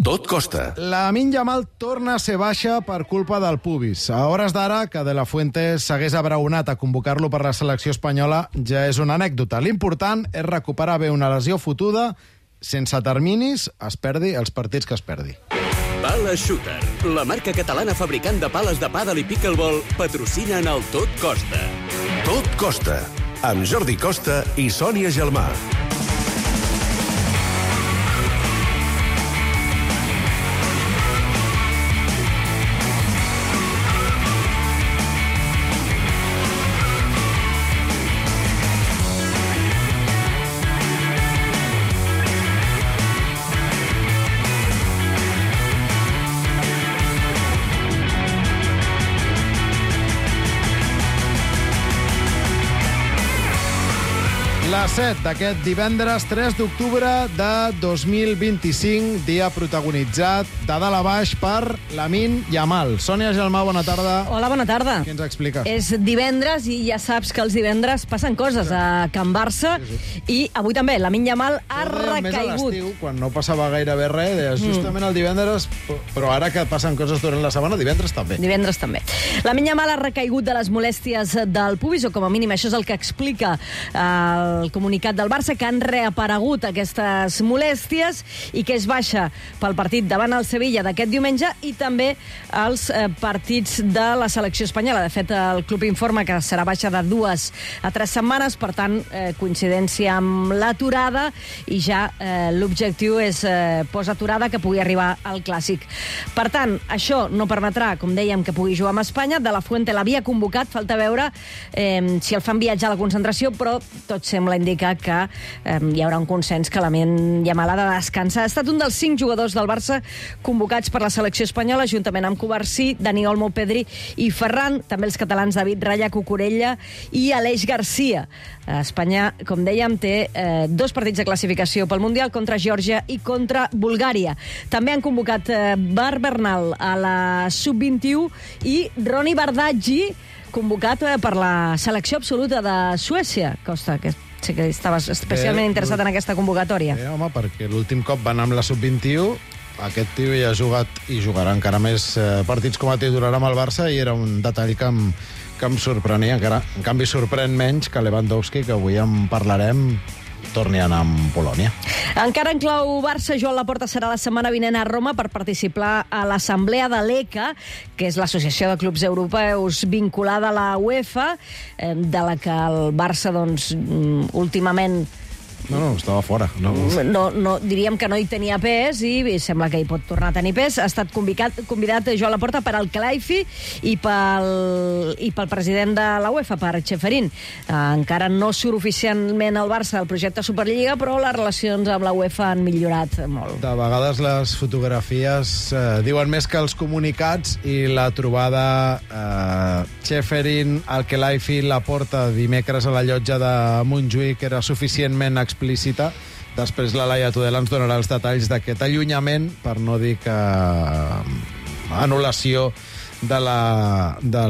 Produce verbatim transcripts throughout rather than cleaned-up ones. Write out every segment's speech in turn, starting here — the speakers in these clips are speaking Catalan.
Tot costa. Lamine Yamal torna a ser baixa per culpa del pubis. A hores d'ara, que De La Fuente s'hagués abraonat a convocar-lo per la selecció espanyola ja és una anècdota. L'important és recuperar bé una lesió fotuda, sense terminis, es perdi els partits que es perdi. Pala Shooter, la marca catalana fabricant de pales de pàdel i pickleball, patrocina en el Tot Costa. Tot costa, amb Jordi Costa i Sònia Gelmà. La set d'aquest divendres tres d'octubre de dos mil vint-i-cinc, dia protagonitzat de dalt a baix per Lamine Yamal. Sònia Gelmà, bona tarda. Hola, bona tarda. Què ens expliques? És divendres i ja saps que els divendres passen coses a Can Barça sí, sí. i avui també Lamine Yamal ha recaigut. Més a l'estiu, quan no passava gairebé res, deies justament el divendres, però ara que passen coses durant la setmana, divendres també. Divendres també. Lamine Yamal ha recaigut de les molèsties del pubis, o com a mínim això és el que explica el el comunicat del Barça, que han reaparegut aquestes molèsties i que és baixa pel partit davant el Sevilla d'aquest diumenge i també els eh, partits de la selecció espanyola. De fet, el club informa que serà baixa de dues a tres setmanes, per tant, eh, coincidència amb l'aturada i ja eh, l'objectiu és eh, post-aturada que pugui arribar al Clàssic. Per tant, això no permetrà, com dèiem, que pugui jugar amb Espanya. De La Fuente l'havia convocat, falta veure eh, si el fan viatjar a la concentració, però tot sembla indicar que eh, hi haurà un consens que Lamine Yamal ha de descansar. Ha estat un dels cinc jugadors del Barça convocats per la selecció espanyola, juntament amb Covarsí, Dani Olmo, Pedri i Ferran, també els catalans David Raya, Cucurella i Aleix Garcia. Espanya, com dèiem, té eh, dos partits de classificació pel Mundial, contra Geòrgia i contra Bulgària. També han convocat eh, Bar Bernal a la sub vint-i-u i Roni Bardaggi, convocat eh, per la selecció absoluta de Suècia. Costa, que sé que estaves especialment eh, interessat en aquesta convocatòria. Eh, home, perquè l'últim cop van amb la sub vint-i-u, aquest tio ja ha jugat i jugarà encara més eh, partits com a titular amb el Barça i era un detall que em, que em sorprenia. Encara, en canvi, sorprèn menys que Lewandowski, que avui en parlarem, torni a anar amb Polònia. Encara en clau Barça, Joan Laporta serà la setmana vinent a Roma per participar a l'assemblea de l'E C A, que és l'Associació de Clubs Europeus vinculada a la UEFA, de la que el Barça, doncs, últimament... No, no, estava fora. No. No, no, diríem que no hi tenia pes i sembla que hi pot tornar a tenir pes. Ha estat convidat, convidat Joan Laporta per al Kelaifi i pel, i pel president de la UEFA, per Ceferin. Eh, encara no surt oficialment el Barça del projecte Superliga, però les relacions amb la UEFA han millorat molt. De vegades les fotografies eh, diuen més que els comunicats i la trobada eh, Ceferin, el Kelaifi, Laporta dimecres a la llotja de Montjuïc era suficientment explícita. Després la Laia Tudela ens donarà els detalls d'aquest allunyament, per no dir que anul·lació de la, de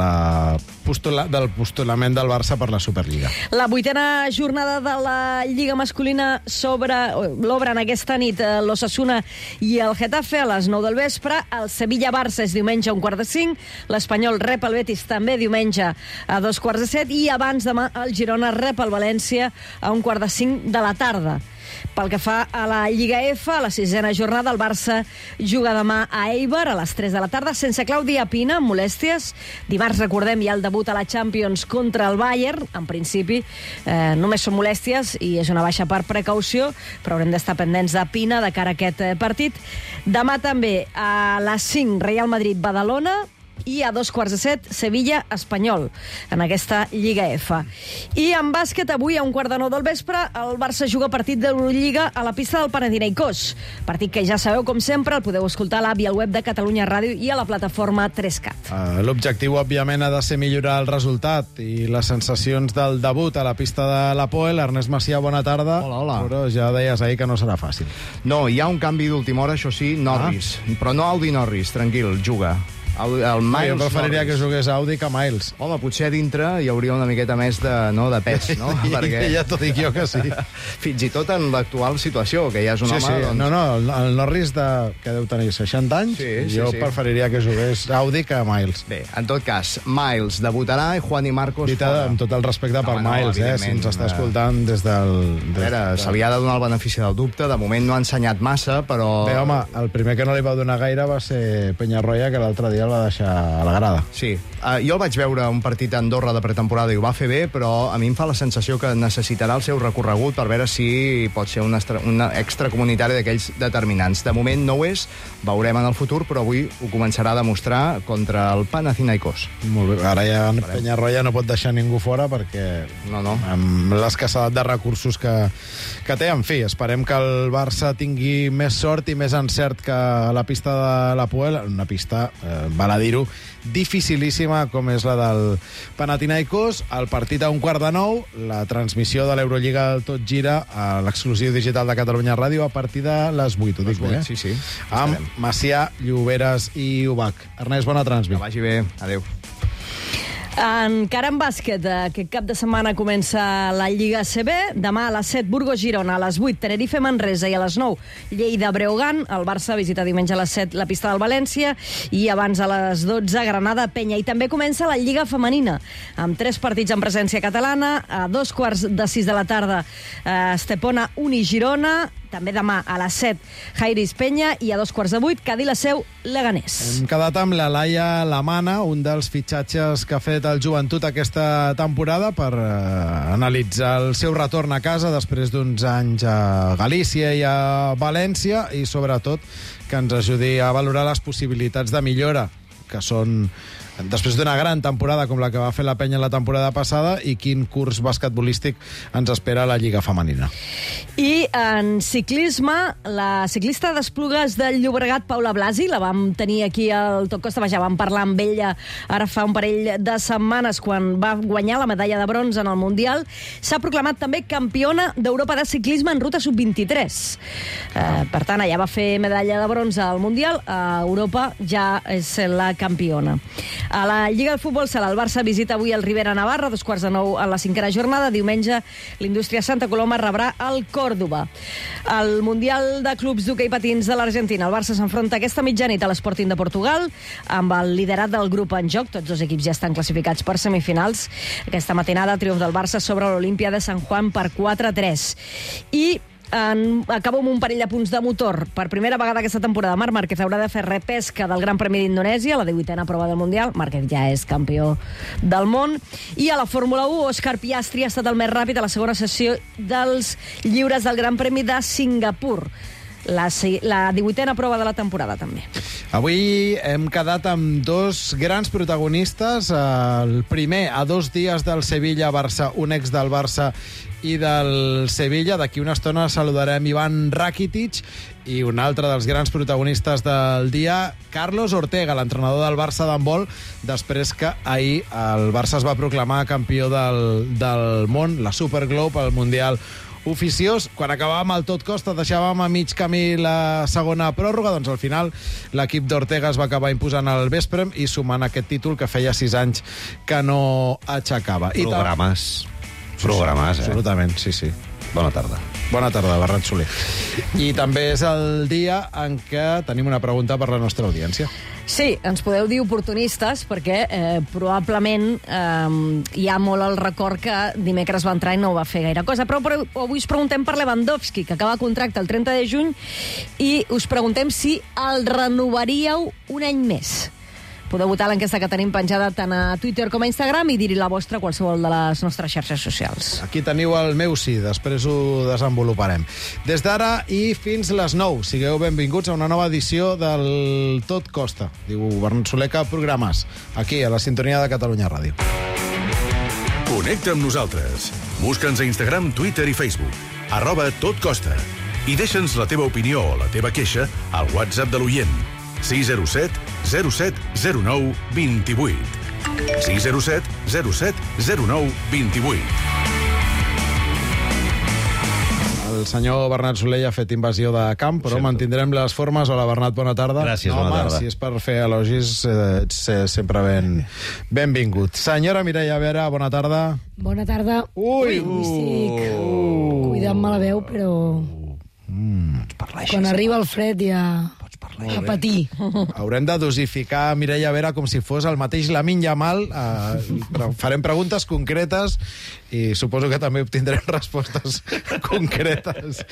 la postula, del postulament del Barça per la Superliga. La vuitena jornada de la Lliga masculina l'obren aquesta nit l'Osasuna i el Getafe a les nou del vespre. El Sevilla-Barça és diumenge a un quart de cinc. L'Espanyol rep el Betis també diumenge a dos quarts de set. I abans demà el Girona rep el València a un quart de cinc de la tarda. Pel que fa a la Lliga F, a la sisena jornada, el Barça juga demà a Eibar a les tres de la tarda, sense Clàudia Pina, amb molèsties. Dimarts, recordem, hi ha el debut a la Champions contra el Bayern. En principi, eh, només són molèsties i és una baixa per precaució, però haurem d'estar pendents de Pina de cara a aquest partit. Demà també a les cinc, Real Madrid-Badalona, i a dos quarts de set, Sevilla-Espanyol, en aquesta Lliga F. I en bàsquet, avui a un quart de nou del vespre, el Barça juga partit de l'Eurolliga a la pista del Panathinaikos. Partit que ja sabeu, com sempre, el podeu escoltar a l'app i al web de Catalunya Ràdio i a la plataforma tres cat. Uh, L'objectiu, òbviament, ha de ser millorar el resultat i les sensacions del debut a la pista de l'Apoel. Ernest Macià, bona tarda. Hola, hola. Però ja deies ahir que no serà fàcil. No, hi ha un canvi d'última hora, això sí, Norris. Ah. Però no Aldi Norris, tranquil, juga. El, el Miles Jo preferiria Norris. que jugués Audi que Miles. Home, potser a dintre hi hauria una miqueta més de, no, de pes, no? Perquè... Ja t'ho dic jo que sí. Fins i tot en l'actual situació, que ja és un Sí, home... sí. Doncs... No, no, el, el Norris, de, que deu tenir seixanta anys, Sí, sí, jo sí. preferiria que jugués Audi que Miles. Bé, en tot cas, Miles debutarà i Juan i Marcos Dita, fora. amb tot el respecte No, per no, Miles, eh, si evidentment, ens està eh. escoltant des del... A veure, se li ha de donar el benefici del dubte. De moment no ha ensenyat massa, però... Bé, home, el primer que no li va donar gaire va ser Peñarroya, que l'altre dia el va deixar a la grada. Sí. Uh, jo el vaig veure un partit a Andorra de pretemporada i ho va fer bé, però a mi em fa la sensació que necessitarà el seu recorregut per veure si pot ser un, extra, un extracomunitari d'aquells determinants. De moment no ho és, veurem en el futur, però avui ho començarà a demostrar contra el Panathinaikos. Molt bé. Ara ja Peñarroya no pot deixar ningú fora perquè No, no. amb l'escassedat de recursos que, que té, en fi, esperem que el Barça tingui més sort i més encert que la pista de la Puel, una pista, eh, val a dir-ho, dificilíssima com és la del Panathinaikos. El partit a un quart de nou, la transmissió de l'Eurolliga del Tot Gira a l'exclusiu digital de Catalunya Ràdio a partir de les vuit, ho dic bé, eh? Sí, sí. Amb Estarem. Macià, Lloberes i Ubach. Ernest, bona transmi. Que vagi bé. Adéu. Encara en bàsquet, aquest cap de setmana comença la Lliga A C B. Demà a les set, Burgos-Girona, a les vuit, Tenerife-Manresa i a les nou, Lleida-Breogán. El Barça visita diumenge a les set la pista del València i abans a les dotze, Granada-Penya. I també comença la Lliga Femenina, amb tres partits en presència catalana. A dos quarts de sis de la tarda, eh, Estepona, Uni-Girona. També demà a les set, Jairis-Penya. I a dos quarts de vuit, Cadí-la-Seu, Leganés. Hem quedat amb la Laia Lamana, un dels fitxatges que ha fet el Joventut aquesta temporada per eh, analitzar el seu retorn a casa després d'uns anys a Galícia i a València i, sobretot, que ens ajudi a valorar les possibilitats de millora, que són després d'una gran temporada com la que va fer la Penya la temporada passada, i quin curs basquetbolístic ens espera a la Lliga Femenina. I en ciclisme, la ciclista d'Esplugues del Llobregat, Paula Blasi, la vam tenir aquí al Tot Costa, ja vam parlar amb ella ara fa un parell de setmanes quan va guanyar la medalla de bronze en el Mundial. S'ha proclamat també campiona d'Europa de ciclisme en ruta sub vint-i-tres. Eh, per tant, ella va fer medalla de bronze al Mundial, a Europa ja és la campiona. A la Lliga de Futbol Sala, el Barça visita avui el Rivera Navarra, dos quarts de nou en la cinquena jornada. Diumenge, l'Indústria Santa Coloma rebrà el Còrdoba. Al Mundial de Clubs d'Hoquei Patins de l'Argentina, el Barça s'enfronta aquesta mitjanit a l'Sporting de Portugal, amb el liderat del grup en joc. Tots dos equips ja estan classificats per semifinals. Aquesta matinada, triomf del Barça sobre l'Olimpia de San Juan per quatre a tres. I En, acabo amb un parell de punts de motor. Per primera vegada aquesta temporada, Marc Márquez haurà de fer repesca del Gran Premi d'Indonèsia, la divuitena prova del Mundial. Márquez ja és campió del món. I a la Fórmula u, Òscar Piastri ha estat el més ràpid a la segona sessió dels lliures del Gran Premi de Singapur. La, la divuitena prova de la temporada, també. Avui hem quedat amb dos grans protagonistes. El primer, a dos dies del Sevilla-Barça, un ex del Barça i del Sevilla. D'aquí una estona saludarem Ivan Rakitic, i un altre dels grans protagonistes del dia, Carlos Ortega, l'entrenador del Barça d'handbol, després que ahir el Barça es va proclamar campió del, del món, la Super Globe, el Mundial oficiós. Quan acabàvem el Tot Costa deixàvem a mig camí la segona pròrroga, doncs al final l'equip d'Ortega es va acabar imposant al vespre i sumant aquest títol que feia sis anys que no aixecava. Programes. Programes, eh? Absolutament, sí, sí. Bona tarda. Bona tarda, Bernat Soler. I també és el dia en què tenim una pregunta per la nostra audiència. Sí, ens podeu dir oportunistes, perquè eh, probablement eh, hi ha molt el record que dimecres va entrar i no va fer gaire cosa. Però, però avui us preguntem per Lewandowski, que acaba contracte el trenta de juny, i us preguntem si el renovaríeu un any més. Podeu votar l'enquesta que tenim penjada tant a Twitter com a Instagram i dir-hi la vostra a qualsevol de les nostres xarxes socials. Aquí teniu el meu sí, després ho desenvoluparem. Des d'ara i fins les nou, sigueu benvinguts a una nova edició del Tot Costa. Diu Bernat Soler que programes, aquí, a la sintonia de Catalunya Ràdio. Connecta amb nosaltres. Busca'ns a Instagram, Twitter i Facebook. Arroba Tot Costa. I deixa'ns la teva opinió o la teva queixa al WhatsApp de l'oient. sis zero set zero set zero nou dos vuit. sis zero set zero set zero nou dos vuit. El senyor Bernat Soler ja ha fet invasió de camp, però Sempre. mantindrem les formes. Hola, Bernat, bona tarda. Gràcies, no, bona home, tarda. si és per fer elogis, eh, ets eh, sempre ben, benvingut. Senyora Mireia Vera, bona tarda. Bona tarda. Ui! Ui, estic uh. cuidant-me la veu, però quan arriba el fred ja a patir. Haurem de dosificar Mireia Vera com si fos el mateix Lamine Yamal. Eh, però farem preguntes concretes i suposo que també obtindrem respostes concretes.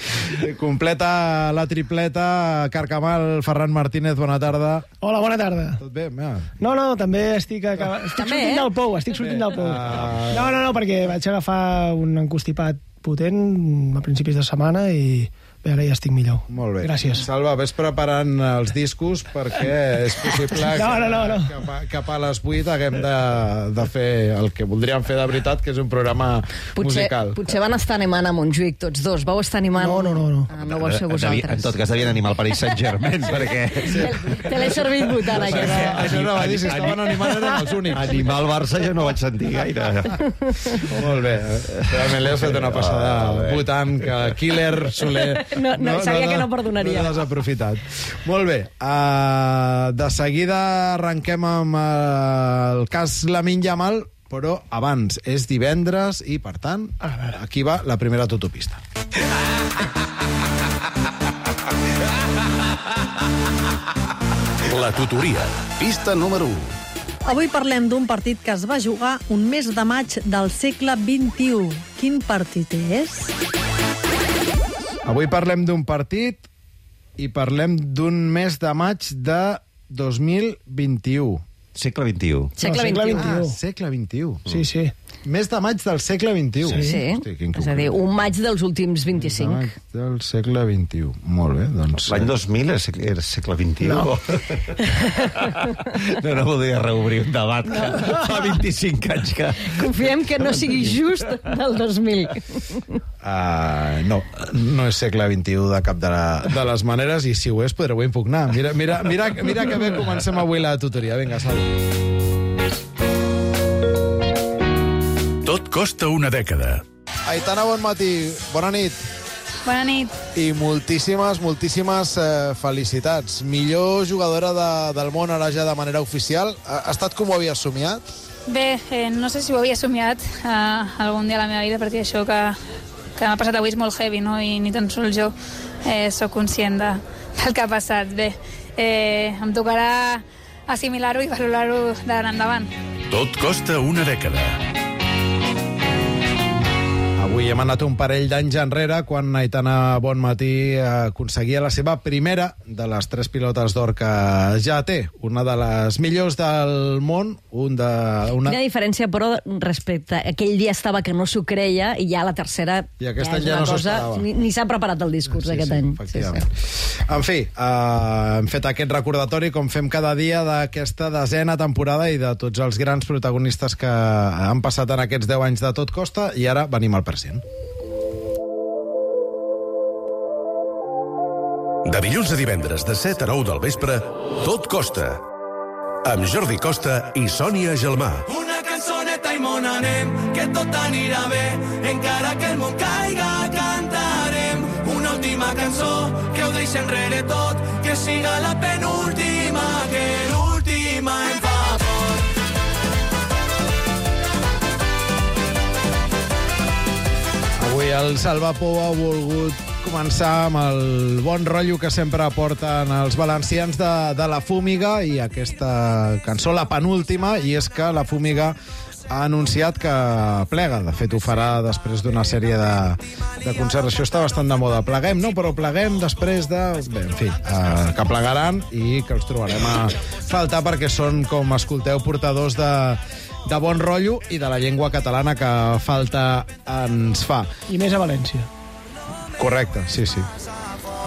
Completa la tripleta Carcamal, Ferran Martínez, bona tarda. Hola, bona tarda. Tot bé? Mira. No, no, també estic, acaba... estic També, sortint eh? del pou, estic sortint del pou. Ah. No, no, no, perquè vaig agafar un encostipat potent a principis de setmana i bé, ara ja estic millor. Molt bé. Gràcies. Salva, ves preparant els discos perquè és possible No, no, no, no. que cap a, cap a les vuit haguem de, de fer el que voldríem fer de veritat, que és un programa Potser, musical. potser van estar animant a Montjuïc tots dos. Vau estar animant... No, no, no, no. Ah, no vau ser Devia- vosaltres. En tot cas, devien animar el Paris Saint-Germain, perquè... Te, te l'he servit votant, Això, aquesta. això no va dir, si estaven animant eren els únics. Animar el Barça jo no vaig sentir gaire. Molt bé. Realment li has fet una passada votant que Killer Soler... No, no, sabia que no perdonaria. No l'has aprofitat. Molt bé. Uh, de seguida arrenquem amb uh, el cas Lamine Yamal, però abans és divendres i, per tant, aquí va la primera tutopista. La tutoria. Pista número u. Avui parlem d'un partit que es va jugar un mes de maig del segle vint-i-u. Quin partit és? Avui parlem d'un partit i parlem d'un mes de maig de dos mil vint-i-u. Segle vint-i-u. Segle No, segle vint-i-u. vint-i-u. Ah, segle vint-i-u. Sí, sí. Mes de maig del segle vint-i-u. Sí, Hosti, quin és a dir, un maig dels últims Maig vint-i-cinc. del segle vint-i-u. Molt bé, doncs... L'any dos mil era segle, era segle vint-i-u. No. no, no voldria reobrir un debat no. que fa vint-i-cinc anys que... Confiem que no sigui just del dos mil. Uh, no, no és segle vint-i-u de cap de, la, de les maneres, i si ho és podreu impugnar. Mira, mira, mira, mira que bé comencem avui la tutoria. Vinga, Salva. Tot costa una dècada. Aitana, bon matí. Bona nit. Bona nit. I moltíssimes, moltíssimes eh, felicitats. Millor jugadora de, del món ara ja de manera oficial. Ha, ha estat com ho havies somiat? Bé, eh, no sé si ho havia somiat eh, algun dia a la meva vida, perquè això que, que m'ha passat avui és molt heavy, no? I ni tan sols jo eh, sóc conscient de, del que ha passat. Bé, eh, em tocarà assimilar-ho i valorar-ho d'ara endavant. Tot costa una dècada. Avui hem anat un parell d'anys enrere quan Aitana Bonmatí aconseguia la seva primera de les tres pilotes d'or que ja té. Una de les millors del món. Un de, una... Quina diferència, però, respecte... Aquell dia estava que no s'ho creia i ja la tercera... I aquest ja any és ja una no s'ho cosa... esperava. Ni, ni s'ha preparat el discurs Sí, aquest sí, any. efectivament. Sí, sí. En fi, uh, hem fet aquest recordatori, com fem cada dia, d'aquesta desena temporada i de tots els grans protagonistes que han passat en aquests deu anys de Tot Costa, i ara venim al present. De dilluns a divendres, de set a nou del vespre, Tot Costa. Amb Jordi Costa i Sònia Gelmà. Una cançoneta i món anem, que tot anirà bé. Encara que el món caiga, cantarem una última cançó, que ho deixi enrere tot, que siga la penúltima, que l'última em fa por. Avui el Salva Pou ha volgut començar amb el bon rotllo que sempre porten els valencians de, de La Fúmiga, i aquesta cançó, la penúltima, i és que La Fúmiga ha anunciat que plega. De fet, ho farà després d'una sèrie de, de concerts. Això està bastant de moda. Pleguem, no? Però pleguem després de... Bé, en fi, eh, que plegaran i que els trobarem a faltar perquè són, com escolteu, portadors de de bon rotllo i de la llengua catalana que falta ens fa. I més a València. Correcte, sí, sí.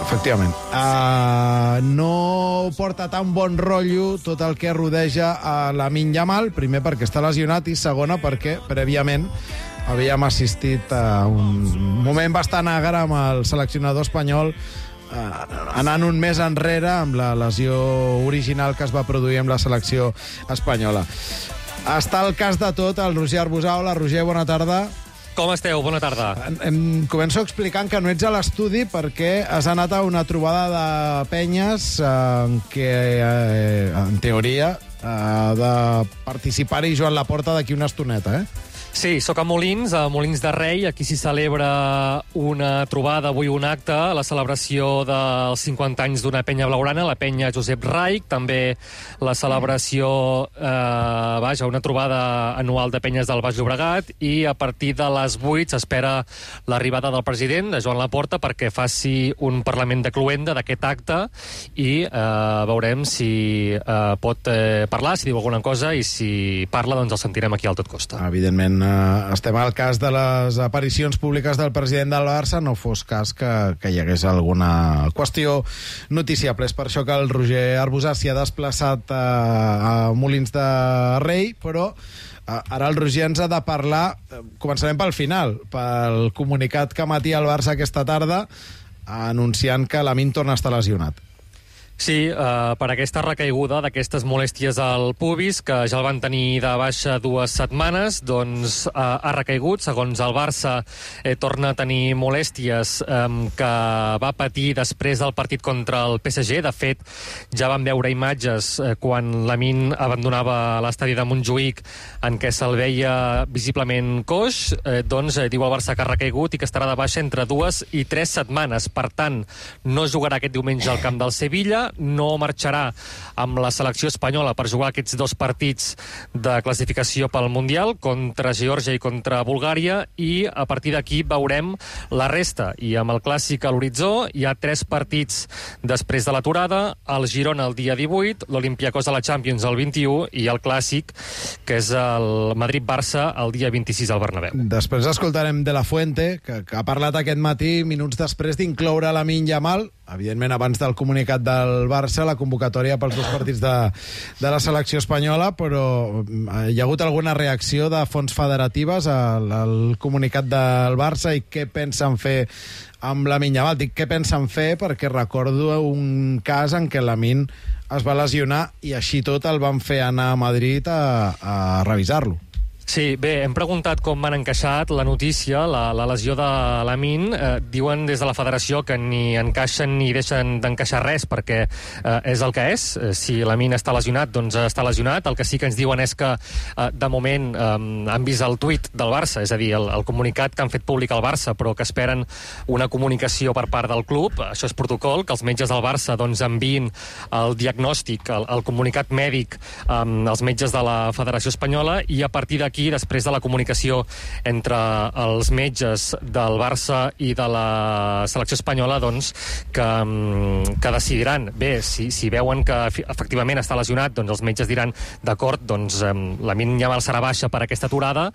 Efectivament. Uh, no porta tan bon rotllo tot el que rodeja a Lamine Yamal, primer perquè està lesionat i segona perquè prèviament havíem assistit a un moment bastant agre amb el seleccionador espanyol uh, anant un mes enrere amb la lesió original que es va produir amb la selecció espanyola. Està el cas de tot, el Roger Arbusà. Hola, Roger, bona tarda. Com esteu? Bona tarda. Em començo explicant que no ets a l'estudi perquè has anat a una trobada de penyes en què, eh, en teoria, ha de participar-hi Joan Laporta d'aquí una estoneta, eh? Sí, sóc a Molins, a Molins de Rei. Aquí s'hi celebra una trobada, avui un acte, la celebració dels cinquanta anys d'una penya blaugrana, la penya Josep Raich, també la celebració, eh, vaja, una trobada anual de penyes del Baix Llobregat, i a partir de les vuit s'espera l'arribada del president, de Joan Laporta, perquè faci un parlament de cluenda d'aquest acte i eh, veurem si eh, pot eh, parlar, si diu alguna cosa, i si parla, doncs el sentirem aquí al Tot Costa. Evidentment, estem al cas de les aparicions públiques del president del Barça, no fos cas que, que hi hagués alguna qüestió noticiable. És per això que el Roger Arbusà s'hi ha desplaçat a, a Molins de Rei, però ara el Roger ens ha de parlar, començarem pel final, pel comunicat que emetia el Barça aquesta tarda anunciant que Lamine torna a estar lesionat. Sí, eh, per aquesta recaiguda d'aquestes molèsties al pubis, que ja el van tenir de baixa dues setmanes, doncs eh, ha recaigut. Segons el Barça, eh, torna a tenir molèsties eh, que va patir després del partit contra el P S G. De fet, ja vam veure imatges eh, quan Lamine abandonava l'estadi de Montjuïc en què se'l veia visiblement coix. Eh, doncs eh, diu el Barça que ha recaigut i que estarà de baixa entre dues i tres setmanes. Per tant, no jugarà aquest diumenge al camp del Sevilla, no marxarà amb la selecció espanyola per jugar aquests dos partits de classificació pel Mundial, contra Geòrgia i contra Bulgària, i a partir d'aquí veurem la resta. I amb el Clàssic a l'horitzó hi ha tres partits després de l'aturada: el Girona el dia divuit, l'Olympiacos a la Champions el vint-i-u i el Clàssic, que és el Madrid-Barça, el dia vint-i-sis al Bernabéu. Després escoltarem De La Fuente, que, que ha parlat aquest matí, minuts després d'incloure Lamine Yamal, evidentment abans del comunicat del Barça, la convocatòria pels dos partits de, de la selecció espanyola, però hi ha hagut alguna reacció de fonts federatives al, al comunicat del Barça i què pensen fer amb Lamine Yamal. Dic què pensen fer perquè recordo un cas en què Lamine es va lesionar i així tot el van fer anar a Madrid a, a revisar-lo. Sí, bé, hem preguntat com han encaixat la notícia, la, la lesió de Lamine. Eh, diuen des de la federació que ni encaixen ni deixen d'encaixar res, perquè eh, és el que és. Eh, si Lamine està lesionat, doncs està lesionat. El que sí que ens diuen és que, eh, de moment, eh, han vist el tuit del Barça, és a dir, el, el comunicat que han fet públic al Barça, però que esperen una comunicació per part del club. Això és protocol, que els metges del Barça doncs, enviïn el diagnòstic, el, el comunicat mèdic eh, als metges de la Federació Espanyola, i a partir d'aquí, aquí, després de la comunicació entre els metges del Barça i de la selecció espanyola, doncs, que, que decidiran. Bé, si, si veuen que efectivament està lesionat, doncs els metges diran, d'acord, doncs Lamine Yamal serà baixa per aquesta aturada,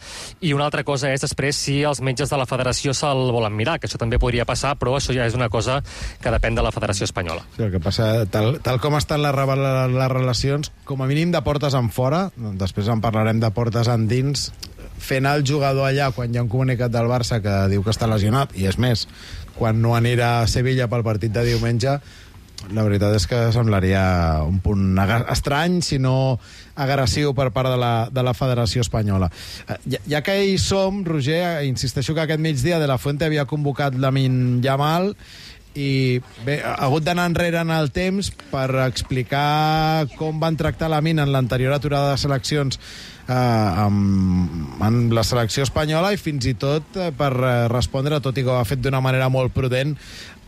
i una altra cosa és després si els metges de la federació se'l volen mirar, que això també podria passar, però això ja és una cosa que depèn de la Federació Espanyola. Sí, el que passa, tal, tal com estan les, les relacions, com a mínim de portes en fora, després en parlarem de portes en dins, fer anar el jugador allà quan hi ha un comunicat del Barça que diu que està lesionat, i és més, quan no anirà a Sevilla pel partit de diumenge, la veritat és que semblaria un punt estrany, si no agressiu per part de la, de la Federació Espanyola. Ja, ja que hi som, Roger, insisteixo que aquest migdia De La Fuente havia convocat Lamine Yamal, i bé, ha hagut d'anar enrere en el temps per explicar com van tractar Lamine en l'anterior aturada de seleccions eh, amb, amb la selecció espanyola, i fins i tot eh, per respondre, tot i que ho ha fet d'una manera molt prudent,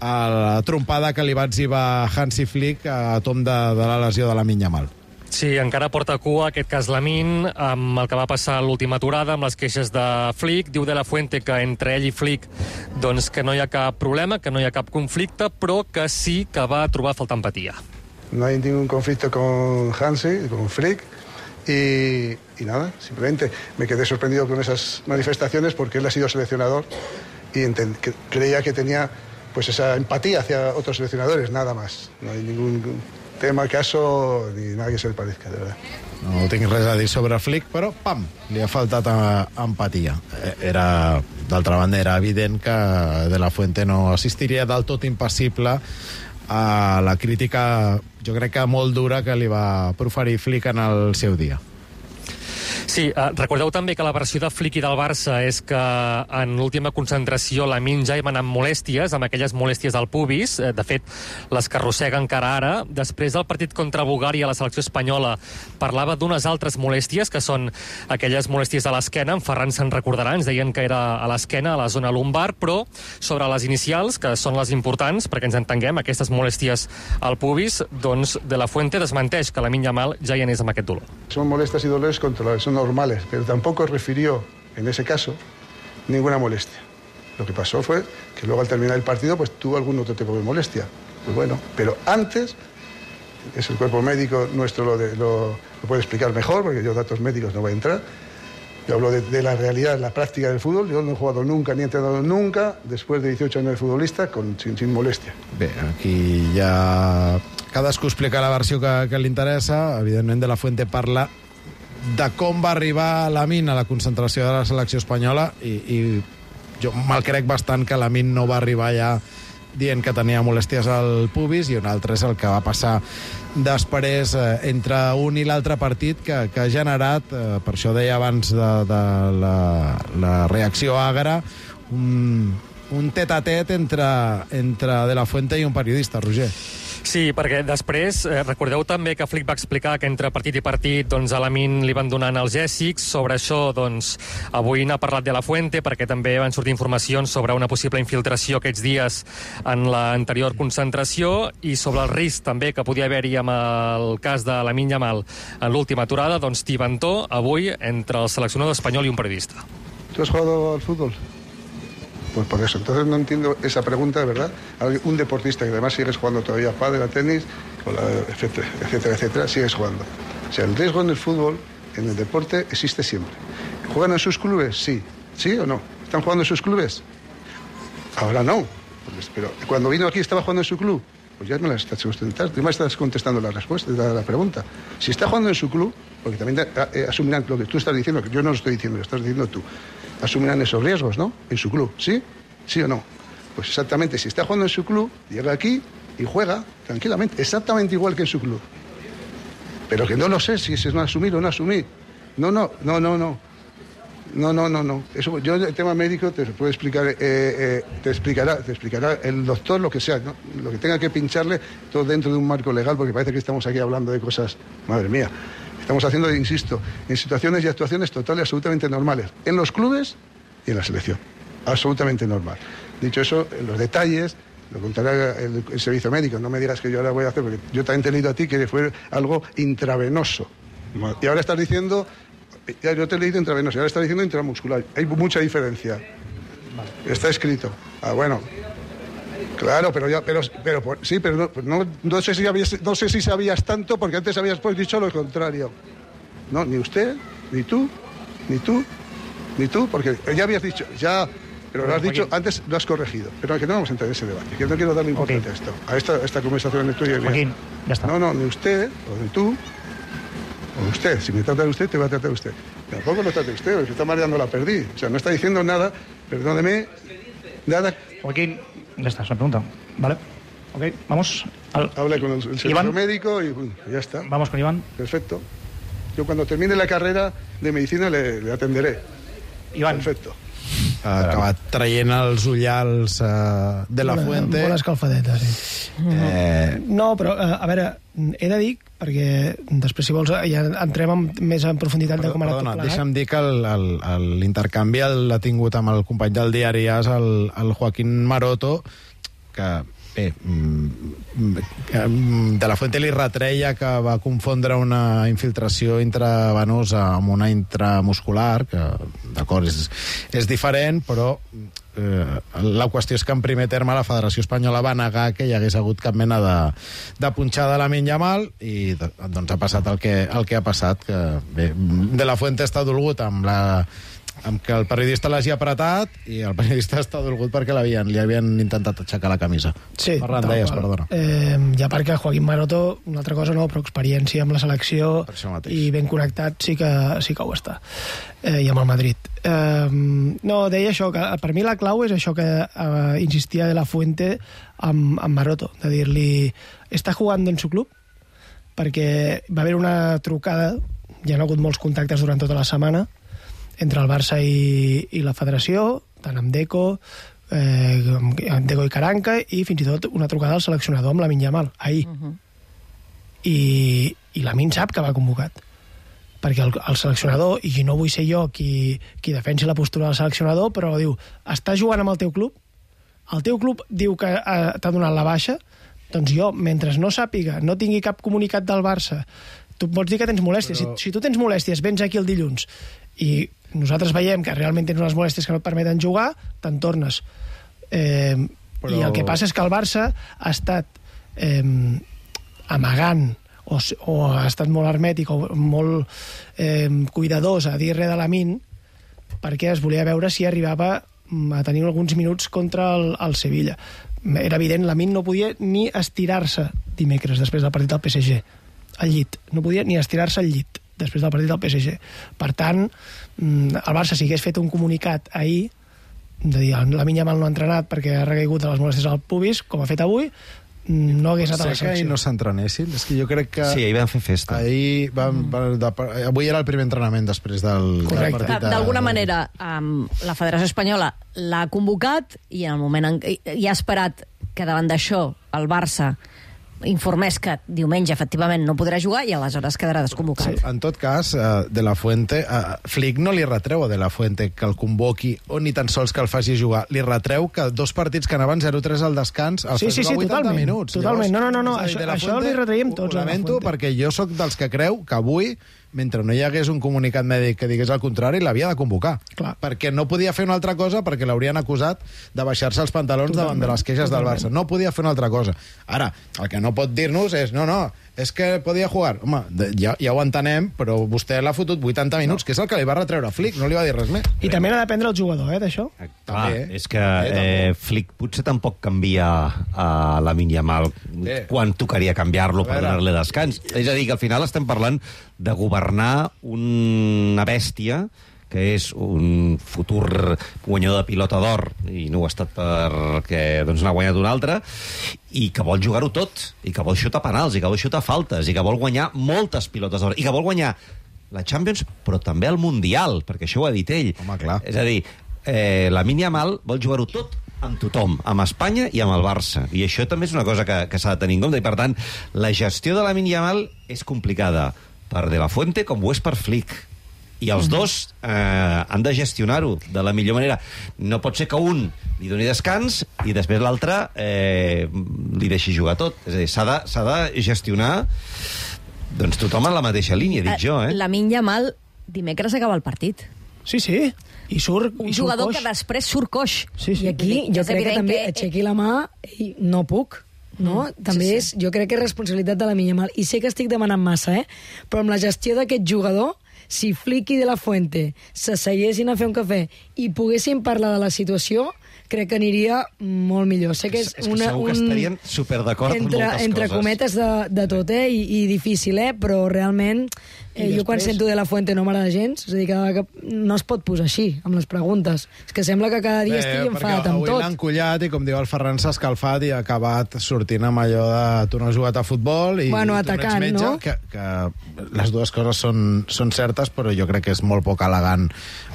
a la trompada que li va exhibar Hansi Flick a tom de, de la lesió de Lamine Yamal. Sí, encara porta cua aquest cas Lamine, amb el que va passar a l'última aturada, amb les queixes de Flick. Diu De La Fuente que entre ell i Flick doncs, que no hi ha cap problema, que no hi ha cap conflicte, però que sí que va trobar falta empatia. No hay ningún conflicto con Hansi, con Flick, y, y nada, simplemente me quedé sorprendido con esas manifestaciones porque él ha sido seleccionador y enten- que creía que tenía pues esa empatía hacia otros seleccionadores, nada más. No hay ningún tema, caso, ni nada que se le parezca, de verdad. No tinc res a dir sobre Flick, però, pam, li ha faltat empatia. Era, d'altra banda, era evident que De La Fuente no assistiria del tot impassible a la crítica, jo crec que molt dura, que li va proferir Flick en el seu dia. Sí, eh, recordeu també que la versió de Flicky del Barça és que en l'última concentració Lamine ja hi va anar amb molèsties, amb aquelles molèsties al pubis, eh, de fet, les que arrossega encara ara. Després del partit contra Bulgària, la selecció espanyola parlava d'unes altres molèsties, que són aquelles molèsties a l'esquena. En Ferran se'n recordarà, ens deien que era a l'esquena, a la zona lumbar, però sobre les inicials, que són les importants, perquè ens entenguem, aquestes molèsties al pubis, doncs De La Fuente desmenteix que Lamine Yamal ja hi anés amb aquest dolor. Son molestias y dolores controlables, son normales, pero tampoco refirió, en ese caso, ninguna molestia. Lo que pasó fue que luego al terminar el partido pues tuvo algún otro tipo de molestia. Pues bueno, pero antes, es el cuerpo médico nuestro lo, de, lo, lo puede explicar mejor, porque yo datos médicos no voy a entrar. Yo hablo de, de la realidad, la práctica del fútbol. Yo no he jugado nunca, ni he entrenado nunca, después de dieciocho años de futbolista, con, sin, sin molestia. Bé, aquí ja cadascú explica la versió que, que li interessa. Evidentment, De La Fuente parla de com va arribar Lamine a la concentració de la selecció espanyola i, i jo me'l crec bastant que Lamine no va arribar ja dient que tenia molèsties al pubis, i un altre és el que va passar després eh, entre un i l'altre partit que, que ha generat, eh, per això deia abans de, de la, la reacció àgara, un, un tet-a-tet entre, entre De La Fuente i un periodista, Roger. Sí, perquè després, eh, recordeu també que Flick va explicar que entre partit i partit doncs, a Lamine li van donar analgèsics. Sobre això, doncs, avui n'ha parlat De La Fuente, perquè també van sortir informacions sobre una possible infiltració aquests dies en l'anterior concentració, i sobre el risc també que podia haver-hi amb el cas de Lamine Yamal en l'última aturada, doncs tibantó avui entre el seleccionador espanyol i un periodista. ¿Tú has jugado al fútbol? Pues por eso, entonces no entiendo esa pregunta, de verdad. Un deportista que además sigues jugando todavía pádel, a tenis, etcétera, etcétera, etcétera, sigues jugando. O sea, el riesgo en el fútbol, en el deporte, existe siempre. ¿Juegan en sus clubes? Sí. ¿Sí o no? ¿Están jugando en sus clubes? Ahora no. Pues, pero cuando vino aquí, ¿estaba jugando en su club? Pues ya me la estás contestando, tú me estás contestando la respuesta, la, la pregunta. Si está jugando en su club, porque también eh, asumirán lo que tú estás diciendo, que yo no lo estoy diciendo, lo estás diciendo tú, asumirán esos riesgos, ¿no? En su club, ¿sí? ¿Sí o no? Pues exactamente, si está jugando en su club, llega aquí y juega tranquilamente, exactamente igual que en su club. Pero que no lo sé si es no asumir o no asumir. No, no, no, no, no. No, no, no, no. Eso, yo el tema médico te puedo explicar, eh, eh, te explicará, te explicará el doctor lo que sea, ¿no? Lo que tenga que pincharle, todo dentro de un marco legal, porque parece que estamos aquí hablando de cosas, madre mía. Estamos haciendo, insisto, en situaciones y actuaciones totales, absolutamente normales, en los clubes y en la selección. Absolutamente normal. Dicho eso, en los detalles lo contará el, el servicio médico. No me digas que yo ahora voy a hacer, porque yo también te he leído a ti que fue algo intravenoso. Y ahora estás diciendo, ya yo te he leído intravenoso, y ahora estás diciendo intramuscular. Hay mucha diferencia. Vale. Está escrito. Ah, bueno. Claro, pero ya, pero, pero sí, pero no, no, no sé si habías, no sé si sabías tanto, porque antes habías pues dicho lo contrario. No, ni usted, ni tú, ni tú, ni tú, porque ya habías dicho, ya, pero lo has dicho, antes lo has corregido. Pero que no vamos a entrar en ese debate, que no quiero darle importancia okay. a esto, a esta, a esta conversación en tuya y mía. Joaquín, ya está. No, no, ni usted, o ni tú, o usted. Si me trata de usted, te va a tratar de usted. Tampoco lo trate usted, porque está mareando la perdí. O sea, no está diciendo nada, perdóneme, nada. Joaquín, ya está, es una pregunta. Vale. Ok, vamos. Al... Hable con el, el servicio médico y uh, ya está. Vamos con Iván. Perfecto. Yo cuando termine la carrera de medicina le, le atenderé. Iván. Perfecto. Ha acabat traient els ullals uh, De La Fuente. Bona escalfadeta, sí. Eh... No, però, a veure, he de dir, perquè després, si vols, ja entrem amb, més en profunditat Perdó, de com ha anat perdona, tot plegat. deixa'm dir que l'intercanvi l'ha tingut amb el company del diari AS, el, el Joaquín Maroto, que bé, De La Fuente li retreia que va confondre una infiltració intravenosa amb una intramuscular, que d'acord, és, és diferent, però eh, la qüestió és que en primer terme la Federació Espanyola va negar que hi hagués hagut cap mena de, de punxada a Lamine Yamal, i doncs ha passat el que, el que ha passat, que bé, De La Fuente està dolgut amb la amb que el periodista l'hagi apretat, i el periodista està dolgut perquè l'havien, li havien intentat aixecar la camisa. Sí, Ferran, deies, perdona. Eh, ja perquè Joaquín Maroto, una altra cosa no, però experiència amb la selecció i ben connectat sí que, sí que ho està. Eh, I amb el Madrid. Eh, no, deia això, que per mi la clau és això que eh, insistia De La Fuente amb, amb Maroto, de dir-li, està jugant en su club? Perquè va haver una trucada hi ha hagut molts contactes durant tota la setmana entre el Barça i, i la federació, tant amb Deco, eh, amb Deco i Caranca, i fins i tot una trucada al seleccionador amb Lamine Yamal, ahir. Uh -huh. I, i Lamine sap que va convocat, perquè el, el seleccionador, i no vull ser jo qui, qui defensi la postura del seleccionador, però diu, estàs jugant amb el teu club? El teu club diu que eh, t'ha donat la baixa? Doncs jo, mentre no sàpiga, no tingui cap comunicat del Barça, tu pots dir que tens molèsties. Però... Si, si tu tens molèsties, vens aquí el dilluns i nosaltres veiem que realment tens unes molèsties que no et permeten jugar, te'n tornes. Eh, Però... I el que passa és que el Barça ha estat eh, amagant o, o ha estat molt hermètic o molt eh, cuidadós a dir res de Lamine perquè es volia veure si arribava a tenir alguns minuts contra el, el Sevilla. Era evident, Lamine no podia ni estirar-se dimecres després del partit del P S G al llit, no podia ni estirar-se al llit després del partit del P S G. Per tant, el Barça, si hagués fet un comunicat ahir de dir, Lamine Yamal no ha entrenat perquè ha recaigut de les molèsties al pubis, com ha fet avui, no hagués anat a la selecció. Que ahir no s'entrenessin, és que jo crec que... Sí, ahir van fer festa. Ahir van, van, de, avui era el primer entrenament després del, del partit. D'alguna manera, um, la Federació Espanyola l'ha convocat i en el moment en, i, i ha esperat que davant d'això el Barça informés que diumenge efectivament no podrà jugar i aleshores quedarà desconvocat. Sí. En tot cas, uh, De La Fuente, uh, Flick no li retreu a De La Fuente que el convoqui o ni tan sols que el faci jugar. Li retreu que dos partits que anaven zero tres al descans el sí, sí, sí, vuitanta totalment, minuts. Totalment. Llavors, no, no, no, no. Això, això li retraiem tots. Ho lamento perquè jo sóc dels que creu que avui, mentre no hi hagués un comunicat mèdic que digués el contrari, l'havia de convocar. Clar. Perquè no podia fer una altra cosa, perquè l'haurien acusat de baixar-se els pantalons totalment, davant de les queixes totalment. del Barça. No podia fer una altra cosa. Ara, el que no pot dir-nos és, no, no, és que podia jugar. Home, ja, ja ho entenem, però vostè l'ha fotut vuitanta minuts, no. que és el que li va retreure a Flick, no li va dir res més. I també n'ha d'aprendre el jugador, eh, d'això. Clar, és que eh, Flick potser tampoc canvia a Lamine Yamal Bé. quan tocaria canviar-lo per donar-li descans. És a dir, que al final estem parlant de governar una bèstia que és un futur guanyador de pilota d'or, i no ho ha estat perquè doncs, n'ha guanyat un altre, i que vol jugar-ho tot, i que vol xutar penals, i que vol xutar faltes, i que vol guanyar moltes pilotes d'or, i que vol guanyar la Champions, però també el Mundial, perquè això ho ha dit ell. Home, clar. És a dir, eh, Lamine Yamal vol jugar-ho tot amb tothom, amb Espanya i amb el Barça. I això també és una cosa que, que s'ha de tenir en compte, i per tant, la gestió de Lamine Yamal és complicada per De La Fuente com ho és per Flick. I els dos eh, han de gestionar-ho de la millor manera. No pot ser que un li doni descans i després l'altre eh, li deixi jugar tot. És a dir, s'ha de, s'ha de gestionar doncs tothom en la mateixa línia, dic jo. Eh? Lamine Yamal dimecres acaba el partit. Sí, sí. I surt, un i surt jugador coix. que després surt coix. Sí, sí. I aquí jo crec que també que... aixequi la mà i no puc. No? Mm, també sí, sí. és, jo crec que és responsabilitat de Lamine Yamal. I sé que estic demanant massa, eh? Però amb la gestió d'aquest jugador, si Flick i De La Fuente s'asseguessin a fer un cafè i poguessin parlar de la situació, crec que aniria molt millor. Sé que és, és que una, segur un... que estarien superd'acord amb moltes entre coses. cometes de, de tot, eh? I, i difícil, eh? Però realment, eh, jo quan sento De La Fuente no m'agrada gens, és a dir, que, que no es pot posar així, amb les preguntes. És que sembla que cada dia Bé, estigui enfadat amb tot. Avui l'han collat i, com diu el Ferran, s'ha escalfat i ha acabat sortint amb allò de tu no has jugat a futbol i bueno, tu atacant, no ets metge, no? que, que les dues coses són, són certes, però jo crec que és molt poc elegant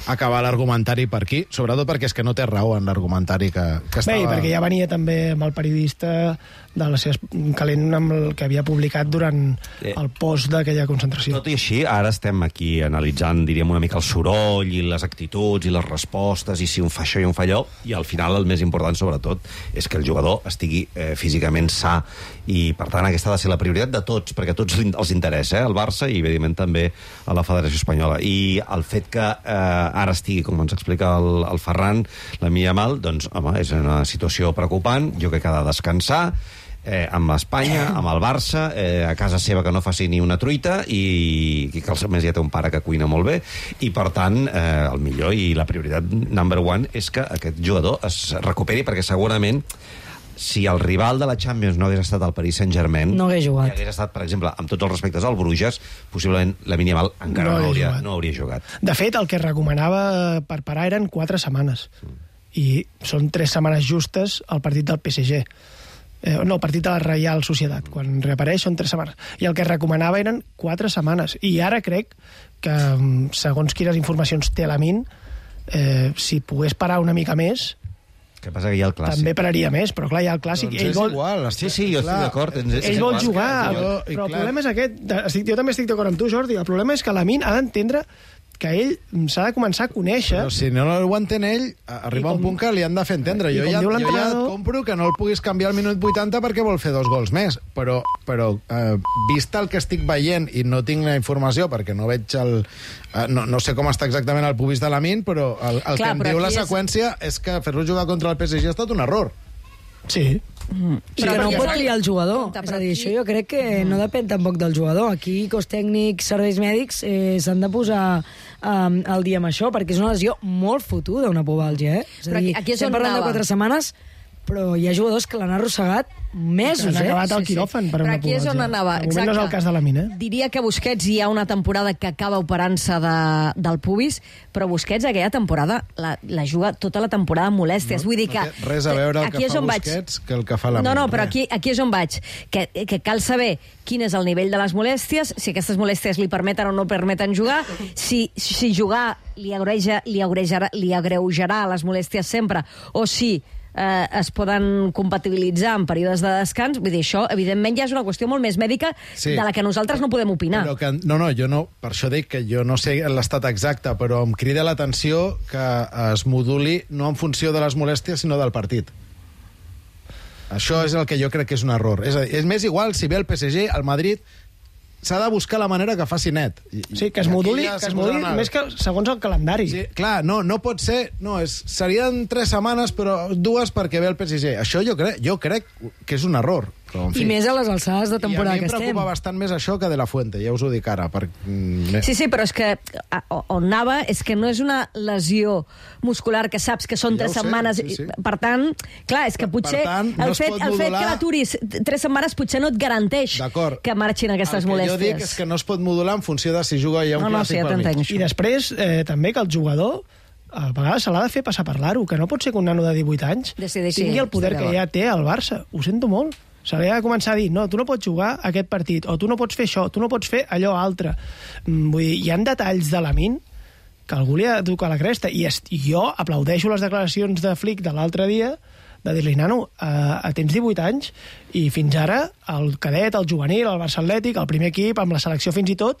acabar l'argumentari per aquí, sobretot perquè és que no té raó en l'argumentari que, que estava... Bé, perquè ja venia també amb el periodista de la seva calent amb el que havia publicat durant eh. el post d'aquella concentració. Tot i així, ara estem aquí analitzant, diríem, una mica el soroll i les actituds i les respostes i si un fa això i un fa allò, i al final el més important, sobretot, és que el jugador estigui eh, físicament sa, i per tant aquesta ha de ser la prioritat de tots, perquè a tots els interessa, eh, el Barça i evidentment també a la Federació Espanyola. I el fet que eh, ara estigui, com ens explica el, el Ferran, Lamine Yamal, doncs, home, és una situació preocupant, jo crec que ha de descansar, eh, amb Espanya, amb el Barça, eh, a casa seva que no faci ni una truita, i, i que a més ja té un pare que cuina molt bé, i per tant, eh, el millor i la prioritat number one és que aquest jugador es recuperi, perquè segurament si el rival de la Champions no hagués estat el Paris Saint-Germain, no hagués jugat. I hagués estat, per exemple, amb tots els respectes al Bruges, possiblement Lamine Yamal encara no, no, hauria, no hauria jugat. De fet, el que recomanava per parar eren quatre setmanes. Mm. I són tres setmanes justes al partit del P S G. Eh, no, el partit de la Reial Societat. Quan reapareix són tres setmanes. I el que recomanava eren quatre setmanes. I ara crec que, segons quines informacions té l'Amin, eh, si pogués parar una mica més, que passa que hi ha el clàssic. També pararia més, però clar, hi ha el clàssic. Doncs ell és vol... igual. Sí, sí, jo estic d'acord. Ell vol jugar, jo, però el problema és aquest. Estic, jo també estic d'acord amb tu, Jordi. El problema és que l'Amin ha d'entendre que ell s'ha de començar a conèixer... Però si no ho entén ell, arriba com, un punt que li han de fer entendre. Jo ja, jo ja et compro que no el puguis canviar al minut vuitanta perquè vol fer dos gols més, però, però eh, vist el que estic veient i no tinc la informació perquè no veig el... Eh, no, no sé com està exactament el pubis de l'Amin, però el, el Clar, que em diu la seqüència és... és que fer-lo jugar contra el P S G ha estat un error. Sí. Mm. Sí, però no pot triar el jugador. És a dir, això jo crec que no depèn tampoc del jugador. Aquí, cos tècnics, serveis mèdics, eh, s'han de posar um, al dia amb això, perquè és una lesió molt fotuda, una pubalgia, eh? És a dir, aquí estem parlant de quatre setmanes, però hi ha jugadors que l'han arrossegat mesos, eh? Han acabat al Sí, sí. quiròfan per Però una aquí és on pubalgia. anava, De moment exacte. no és el cas de la mina. Diria que Busquets hi ha una temporada que acaba operant-se de, del pubis, però Busquets aquella temporada la, la juga tota la temporada amb molèsties. No, Vull dir que... no té res a veure el aquí que és fa on vaig. Busquets que el que fa la No, no, mina, però res. aquí, aquí és on vaig. Que, que cal saber quin és el nivell de les molèsties, si aquestes molèsties li permeten o no permeten jugar, si, si jugar li, agreuja, li, agreujarà, li agreujarà les molèsties sempre, o si eh, es poden compatibilitzar en períodes de descans. Vull dir, això, evidentment, ja és una qüestió molt més mèdica Sí. de la que nosaltres no podem opinar. Però que, no, no, jo no, per això dic que jo no sé l'estat exacte, però em crida l'atenció que es moduli no en funció de les molèsties, sinó del partit. Això és el que jo crec que és un error. És a dir, és més igual si ve el P S G, el Madrid s'ha de buscar la manera que faci net. I, Sí, que es moduli, ja que es s'hi moduli posaran a- més que segons el calendari. Sí, clar, no, no pot ser... No, és, serien tres setmanes, però dues perquè ve el P S G. Això jo crec, jo crec que és un error. Però, en fi. I més a les alçades de temporada I a mi que em estem. preocupa bastant més això que De La Fuente, ja us ho dic ara. Per... Sí, sí, però és que a- on anava és que no és una lesió muscular que saps que són Ja tres ho sé, setmanes. sí, sí. Per tant, clar, és que potser tant, no el, es fet, pot el fet modular- que l'aturis tres setmanes potser no et garanteix que marxin aquestes El que molèsties. jo dic és que no es pot modular en funció de si juga ja un No, no, sí, clàssic ja pel mig. t'entenc. I després, eh, també que el jugador a vegades se l'ha de fer passar per l'aro, que no pot ser que un nano de divuit anys Decideixi, tingui el poder estic que d'acord. ja té el Barça. Ho sento molt. Se li ha de començar a dir, no, tu no pots jugar aquest partit, o tu no pots fer això, tu no pots fer allò altre. Mm, Vull dir, hi ha detalls de Lamine que algú li ha de tocar la cresta. I, est, i jo aplaudeixo les declaracions de Flick de l'altre dia, de dir-li, nano, eh, tens divuit anys i fins ara el cadet, el juvenil, el Barça Atlètic, el primer equip, amb la selecció fins i tot,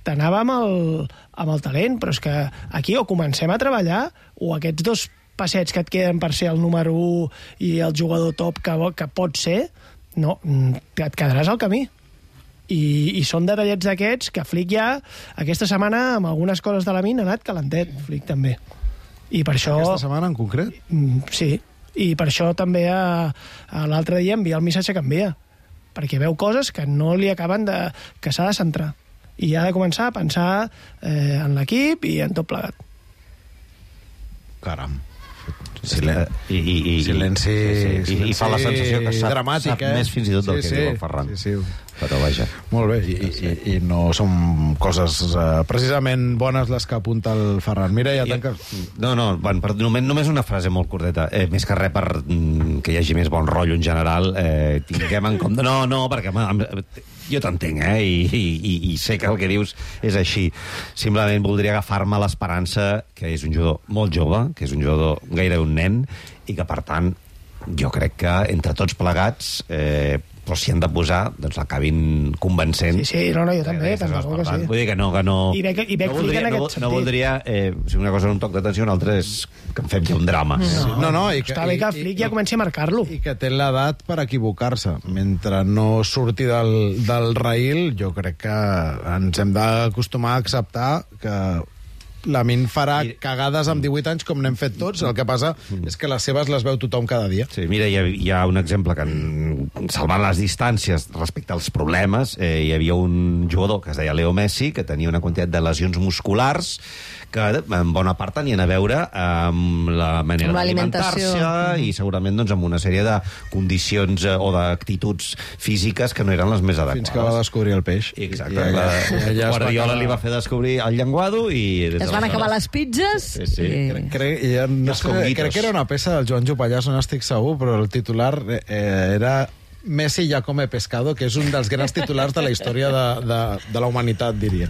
t'anava amb, el, amb el talent, però és que aquí o comencem a treballar o aquests dos passets que et queden per ser el número u i el jugador top que, que pot ser, no, et quedaràs al camí. I, i són detallets d'aquests que Flick ja aquesta setmana amb algunes coses de la mina ha anat calentet, Flick també. I per això... Aquesta setmana en concret? Mm, Sí, i per això també a, a l'altre dia envia el missatge que envia, perquè veu coses que no li acaben de... que s'ha de centrar. I ha de començar a pensar eh, en l'equip i en tot plegat. Caram. Silen... I, i, i, Silenci, sí, sí. I, i fa la sensació que sap, dramàtic, sap eh? més fins i tot del Sí, que sí. diu el Ferran. Sí, sí. Però vaja. Molt bé, i, i, i no són coses uh, precisament bones les que apunta el Ferran. Mira, ja tanca... No, no, van, per, només, només una frase molt curteta. Eh, més que res per mm, que hi hagi més bon rotllo en general. Eh, tinguem en compte... No, no, perquè home, em- jo t'entenc, eh? I, i, i sé que el que dius és així. Simplement voldria agafar-me l'esperança que és un jugador molt jove, que és un jugador gairebé un nen, i que, per tant, jo crec que entre tots plegats... Eh, però si han de posar, doncs l'acabin convencent. Sí, sí, no, no, jo també, D'aquestes tant de bo que coses, per sí. tant, Vull dir que no... Que no I veig, i veig no Flick voldria, en no, aquest no sentit. voldria... Eh, si una cosa és un toc d'atenció, una altra és que en fem ja un drama. No, no, no i que, Està bé que Flick ja comenci a marcar-lo. I que té l'edat per equivocar-se. Mentre no surti del, del raïl, jo crec que ens hem d'acostumar a acceptar que Lamine farà cagades amb divuit anys com n'hem fet tots, el que passa és que les seves les veu tothom cada dia. Sí, mira, hi ha, hi ha un exemple que, en, salvant les distàncies respecte als problemes, eh, hi havia un jugador que es deia Leo Messi, que tenia una quantitat de lesions musculars que en bona part tenien a veure amb la manera Amb d'alimentar-se l'alimentació. i segurament doncs, amb una sèrie de condicions eh, o d'actituds físiques que no eren les més adequades. Fins que va descobrir el peix. Exacte. I La, allà- i allà es va Guardiola acabar- li va fer descobrir el llenguado i... des Es van acabar les pizzas. Sí, sí. i... Crec, crec, ja, no Els sé, conguitos. crec que era una peça del Joan Jopallàs, no estic segur, però el titular eh, era Messi ya come pescado, que és un dels grans titulars de la història de, de, de la humanitat, diria.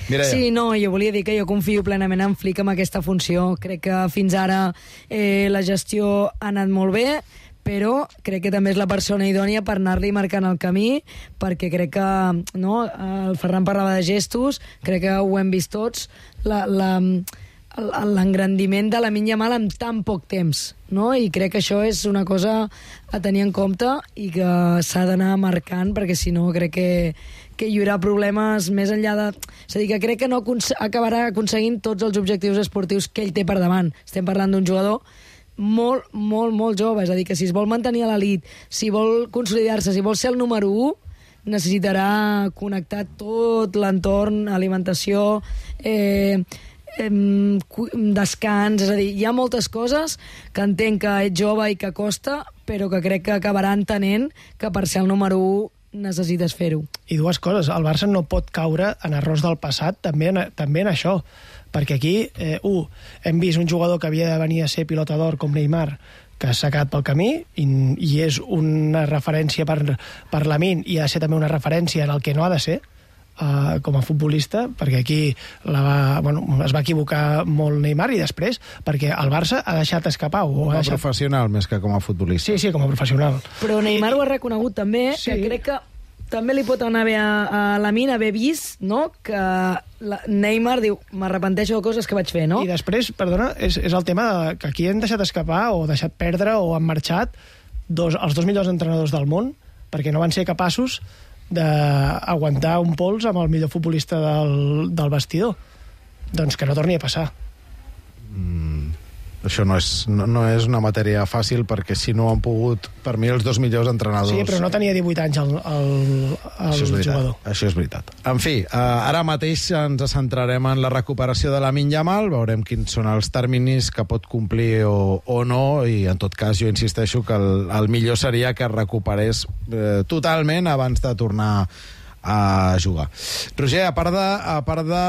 Mireia. Sí, no, jo volia dir que jo confio plenament en Flick amb aquesta funció. Crec que fins ara eh, la gestió ha anat molt bé, però crec que també és la persona idònia per anar-li marcant el camí, perquè crec que, no, el Ferran parlava de gestos, crec que ho hem vist tots, la... la l'engrandiment de Lamine Yamal en tan poc temps, no? I crec que això és una cosa a tenir en compte i que s'ha d'anar marcant, perquè si no crec que, que hi haurà problemes més enllà de... És a dir, que crec que no acabarà aconseguint tots els objectius esportius que ell té per davant. Estem parlant d'un jugador molt, molt, molt jove, és a dir, que si es vol mantenir a l'elit, si vol consolidar-se, si vol ser el número u, necessitarà connectar tot l'entorn, alimentació, eh, descans, és a dir, hi ha moltes coses que entenc que ets jove i que costa, però que crec que acabarà entenent que per ser el número u necessites fer-ho. I dues coses, el Barça no pot caure en errors del passat, també en, també en això, perquè aquí, eh, un, hem vist un jugador que havia de venir a ser pilota d'or com Neymar, que s'ha quedat pel camí i, i és una referència per, per Lamine i ha de ser també una referència en el que no ha de ser, Uh, com a futbolista, perquè aquí la va, bueno, es va equivocar molt Neymar i després perquè el Barça ha deixat escapar. O com a deixat... professional més que com a futbolista. Sí, sí, com a professional. Però Neymar ho ha reconegut també, sí. Que crec que també li pot anar bé a, a Lamine haver vist, no?, que la, Neymar diu, m'arrepenteixo de coses que vaig fer, no? I després, perdona, és, és el tema de, que aquí han deixat escapar o deixat perdre o han marxat dos, els dos millors entrenadors del món perquè no van ser capaços d'aguantar un pols amb el millor futbolista del, del vestidor. Doncs que no torni a passar. Mm, això no és, no, no és una matèria fàcil, perquè si no han pogut, per mi, els dos millors entrenadors... Sí, però no tenia divuit anys el, el, el això jugador. Això és veritat. En fi, eh, ara mateix ens centrarem en la recuperació de Lamine Yamal, veurem quins són els terminis que pot complir o, o no, i en tot cas jo insisteixo que el, el millor seria que es recuperés eh, totalment abans de tornar a jugar. Roger, a part de, a part de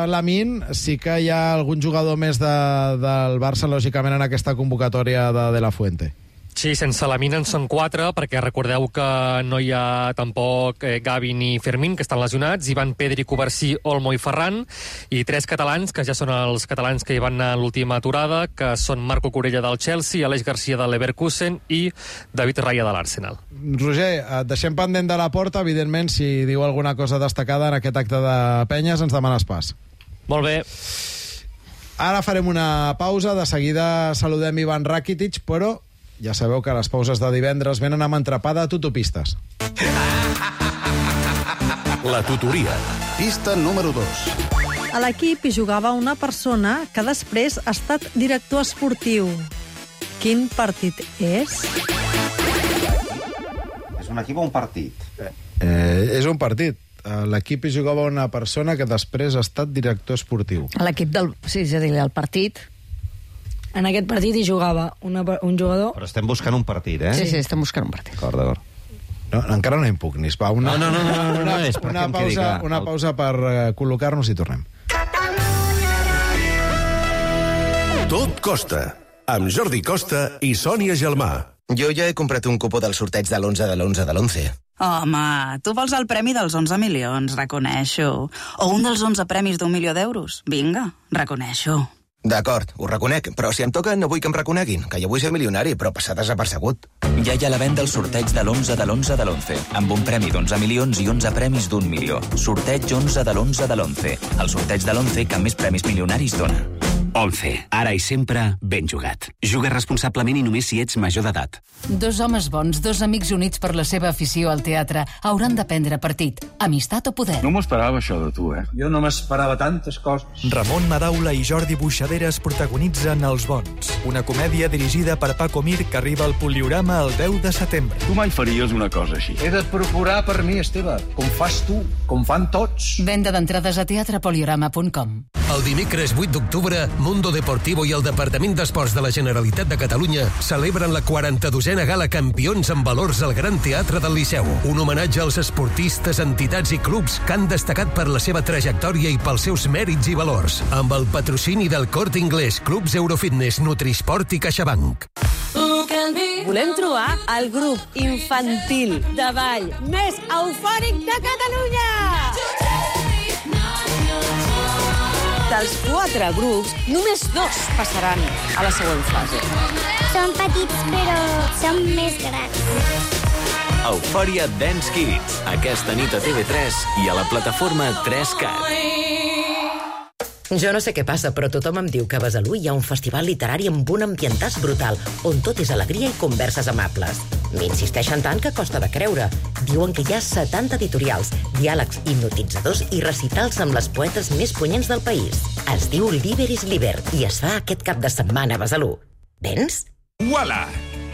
Lamine, sí que hi ha algun jugador més de, del Barça, lògicament, en aquesta convocatòria de De La Fuente. Sí, sense Lamine en són quatre, perquè recordeu que no hi ha tampoc eh, Gavi ni Fermín, que estan lesionats, hi van Pedri, Covarsí, Olmo i Ferran, i tres catalans, que ja són els catalans que hi van anar a l'última aturada, que són Marco Corella del Chelsea, Aleix Garcia de l'Leverkusen i David Raya de l'Arsenal. Roger, et deixem pendent de la porta, evidentment, si diu alguna cosa destacada en aquest acte de penyes, ens demanes pas. Molt bé. Ara farem una pausa, de seguida saludem Ivan Rakitic, però ja sabeu que les pauses de divendres venen amb entrapada a tutopistes. La tutoria. Pista número dos. A l'equip hi jugava una persona que després ha estat director esportiu. Quin partit és? És un equip o un partit? Eh, és un partit. A l'equip hi jugava una persona que després ha estat director esportiu. A l'equip del... Sí, és a dir, el partit... En aquest partit hi jugava una, un jugador... Però estem buscant un partit, eh? Sí, sí, estem buscant un partit. D'acord, d'acord. No, encara no impugnis. Va, una, no, no, no, no, no, una, no és una, pausa, una pausa per uh, col·locar-nos i tornem. Tot costa, amb Jordi Costa i Sònia Gelmà. Jo ja he comprat un cupó del sorteig de l'onze de l'onze de l'onze. Home, tu vols el premi dels onze milions, reconeixo. O un dels onze premis d'un milió d'euros. Vinga, reconeixo. D'acord, ho reconec, però si em toca no vull que em reconeguin, que jo vull ser milionari, però passar desapercegut. Ja hi ha la venda el sorteig de l'onze de l'onze de l'onze, amb un premi d'onze milions i onze premis d'un milió. Sorteig onze de l'onze de l'onze. El sorteig de l'onze que més premis milionaris dona. onze. Ara i sempre, ben jugat. Juga responsablement i només si ets major d'edat. Dos homes bons, dos amics units per la seva afició al teatre, hauran de prendre partit. Amistat o poder. No m'ho esperava, això de tu, eh? Jo no m'esperava tantes coses. Ramon Madaula i Jordi Buixaderes protagonitzen Els Bons, una comèdia dirigida per Paco Mir que arriba al Poliorama el deu de setembre. Tu mai faries una cosa així. He de procurar per mi, Esteve, com fas tu, com fan tots. Venda d'entrades a teatrepoliorama punt com. El dimecres vuit d'octubre, Mundo Deportivo i el Departament d'Esports de la Generalitat de Catalunya celebren la quaranta-dosena gala Campions en Valors al Gran Teatre del Liceu. Un homenatge als esportistes, entitats i clubs que han destacat per la seva trajectòria i pels seus mèrits i valors. Amb el patrocini del Corte Inglés, Clubs Eurofitness, Nutrisport i CaixaBank. Who can be Volem trobar el grup infantil de ball més eufòric de Catalunya! Dels quatre grups, només dos passaran a la següent fase. Som petits, però som més grans. Eufòria Dance Kids, aquesta nit a T V tres i a la plataforma tres cat. Jo no sé què passa, però tothom em diu que a Besalú hi ha un festival literari amb un ambientàs brutal, on tot és alegria i converses amables. M'insisteixen tant que costa de creure. Diuen que hi ha setanta editorials, diàlegs hipnotitzadors i recitals amb les poetes més punyents del país. Es diu Liber is Liber i es fa aquest cap de setmana a Besalú. Vens? Uala!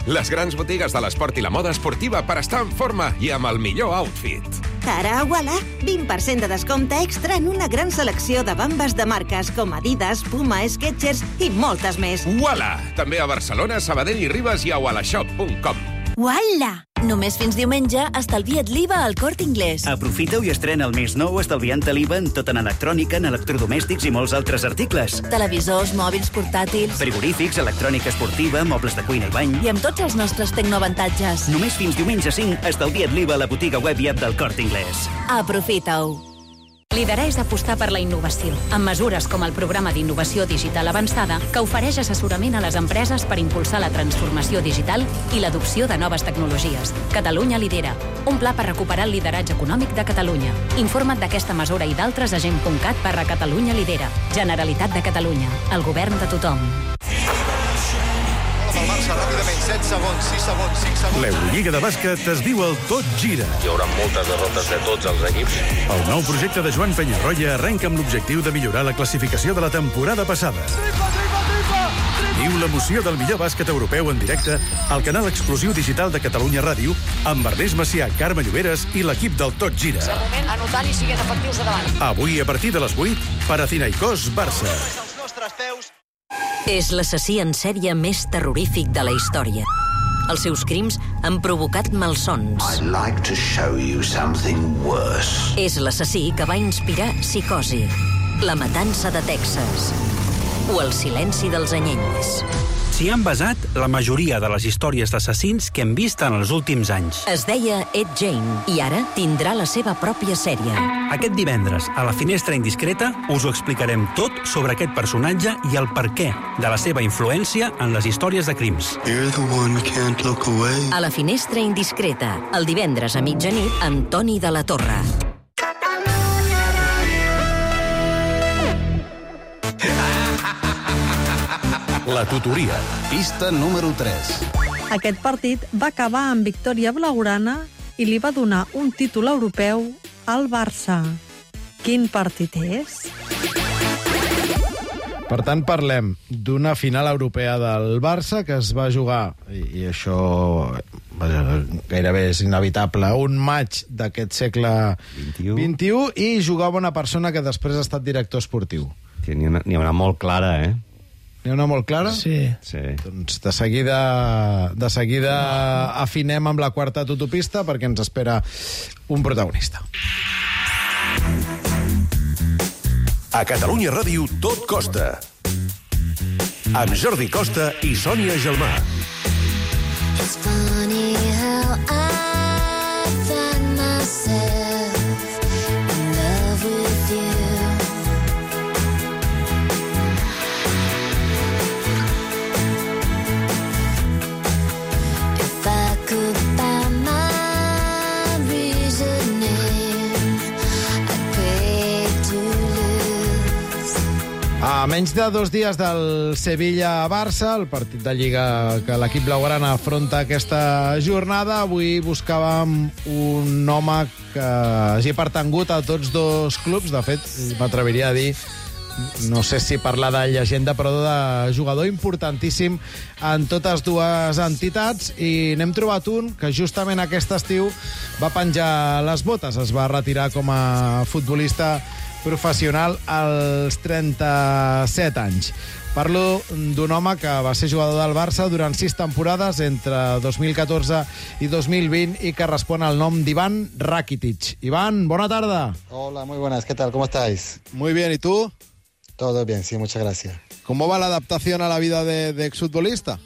Les grans botigues de l'esport i la moda esportiva per estar en forma i amb el millor outfit. Ara a Uala, vint per cent de descompte extra en una gran selecció de bambes de marques com Adidas, Puma, Skechers i moltes més. Uala! També a Barcelona, Sabadell i Ribes i a ualashop punt com. Uala! Només fins diumenge estalvia't l'I V A al Corte Inglés. Aprofita-ho i estrena el mes nou estalviant l'I V A en tot en electrònica, en electrodomèstics i molts altres articles. Televisors, mòbils, portàtils... Frigorífics, electrònica esportiva, mobles de cuina i bany... I amb tots els nostres tecnoavantatges. Només fins diumenge cinc estalvia't l'I V A a la botiga web i app del Corte Inglés. Aprofita-ho. Liderar és apostar per la innovació, amb mesures com el programa d'innovació digital avançada, que ofereix assessorament a les empreses per impulsar la transformació digital i l'adopció de noves tecnologies. Catalunya lidera, un pla per recuperar el lideratge econòmic de Catalunya. Informa't d'aquesta mesura i d'altres a gent punt cat barra Catalunya lidera. Generalitat de Catalunya, el govern de tothom. El Barça ràpidament, set segons, sis segons, cinc segons... L'Eurolliga de bàsquet es diu el Tot Gira. Hi haurà moltes derrotes de tots els equips. El nou projecte de Joan Penyarroia arrenca amb l'objectiu de millorar la classificació de la temporada passada. Tripa, tripa, tripa, tripa. Viu l'emoció del millor bàsquet europeu en directe al canal exclusiu digital de Catalunya Ràdio amb Ernest Macià, Carme Lloberes i l'equip del Tot Gira. De moment, anotant i siguent efectius a davant. Avui, a partir de les vuit, Panathinaikos Barça. Els nostres peus... És l'assassí en sèrie més terrorífic de la història. Els seus crims han provocat malsons. I'd like to show you something worse. És l'assassí que va inspirar Psicosi, La matança de Texas o El silenci dels anyells. S'hi han basat la majoria de les històries d'assassins que hem vist en els últims anys. Es deia Ed Gein i ara tindrà la seva pròpia sèrie. Aquest divendres, a la Finestra Indiscreta, us ho explicarem tot sobre aquest personatge i el perquè de la seva influència en les històries de crims. A la Finestra Indiscreta, el divendres a mitjanit amb Toni de la Torre. La tutoria, pista número tres. Aquest partit va acabar amb victòria blaugrana i li va donar un títol europeu al Barça. Quin partit és? Per tant, parlem d'una final europea del Barça que es va jugar, i, i això gairebé és inevitable, un maig d'aquest segle vint-i-u, i jugava una persona que després ha estat director esportiu. N'hi ha, ha una molt clara, eh? N'hi ha una molt clara? Sí. sí. Doncs de seguida, de seguida afinem amb la quarta autopista perquè ens espera un protagonista. A Catalunya Ràdio tot costa. Amb Jordi Costa i Sònia Gelmà. It's funny how I find myself in love with you. If I could find my reasoning, I'd pray to lose. A menys de dos dies del Sevilla-Barça, el partit de Lliga que l'equip blaugrana afronta aquesta jornada, avui buscàvem un home que hagi pertangut a tots dos clubs. De fet, m'atreviria a dir, no sé si parlar de llegenda, però de jugador importantíssim en totes dues entitats, i n'hem trobat un que justament aquest estiu va penjar les botes, es va retirar com a futbolista professional als trenta-set anys. Parlo d'un home que va ser jugador del Barça durant sis temporades entre dos mil catorze i dos mil vint i que respon al nom d'Ivan Rakitic. Iván, bona tarda. Hola, muy buenas. ¿Qué tal? ¿Cómo estáis? Muy bien, ¿y tú? Todo bien, sí, muchas gracias. ¿Cómo va la adaptación a la vida de, de exfutbolista?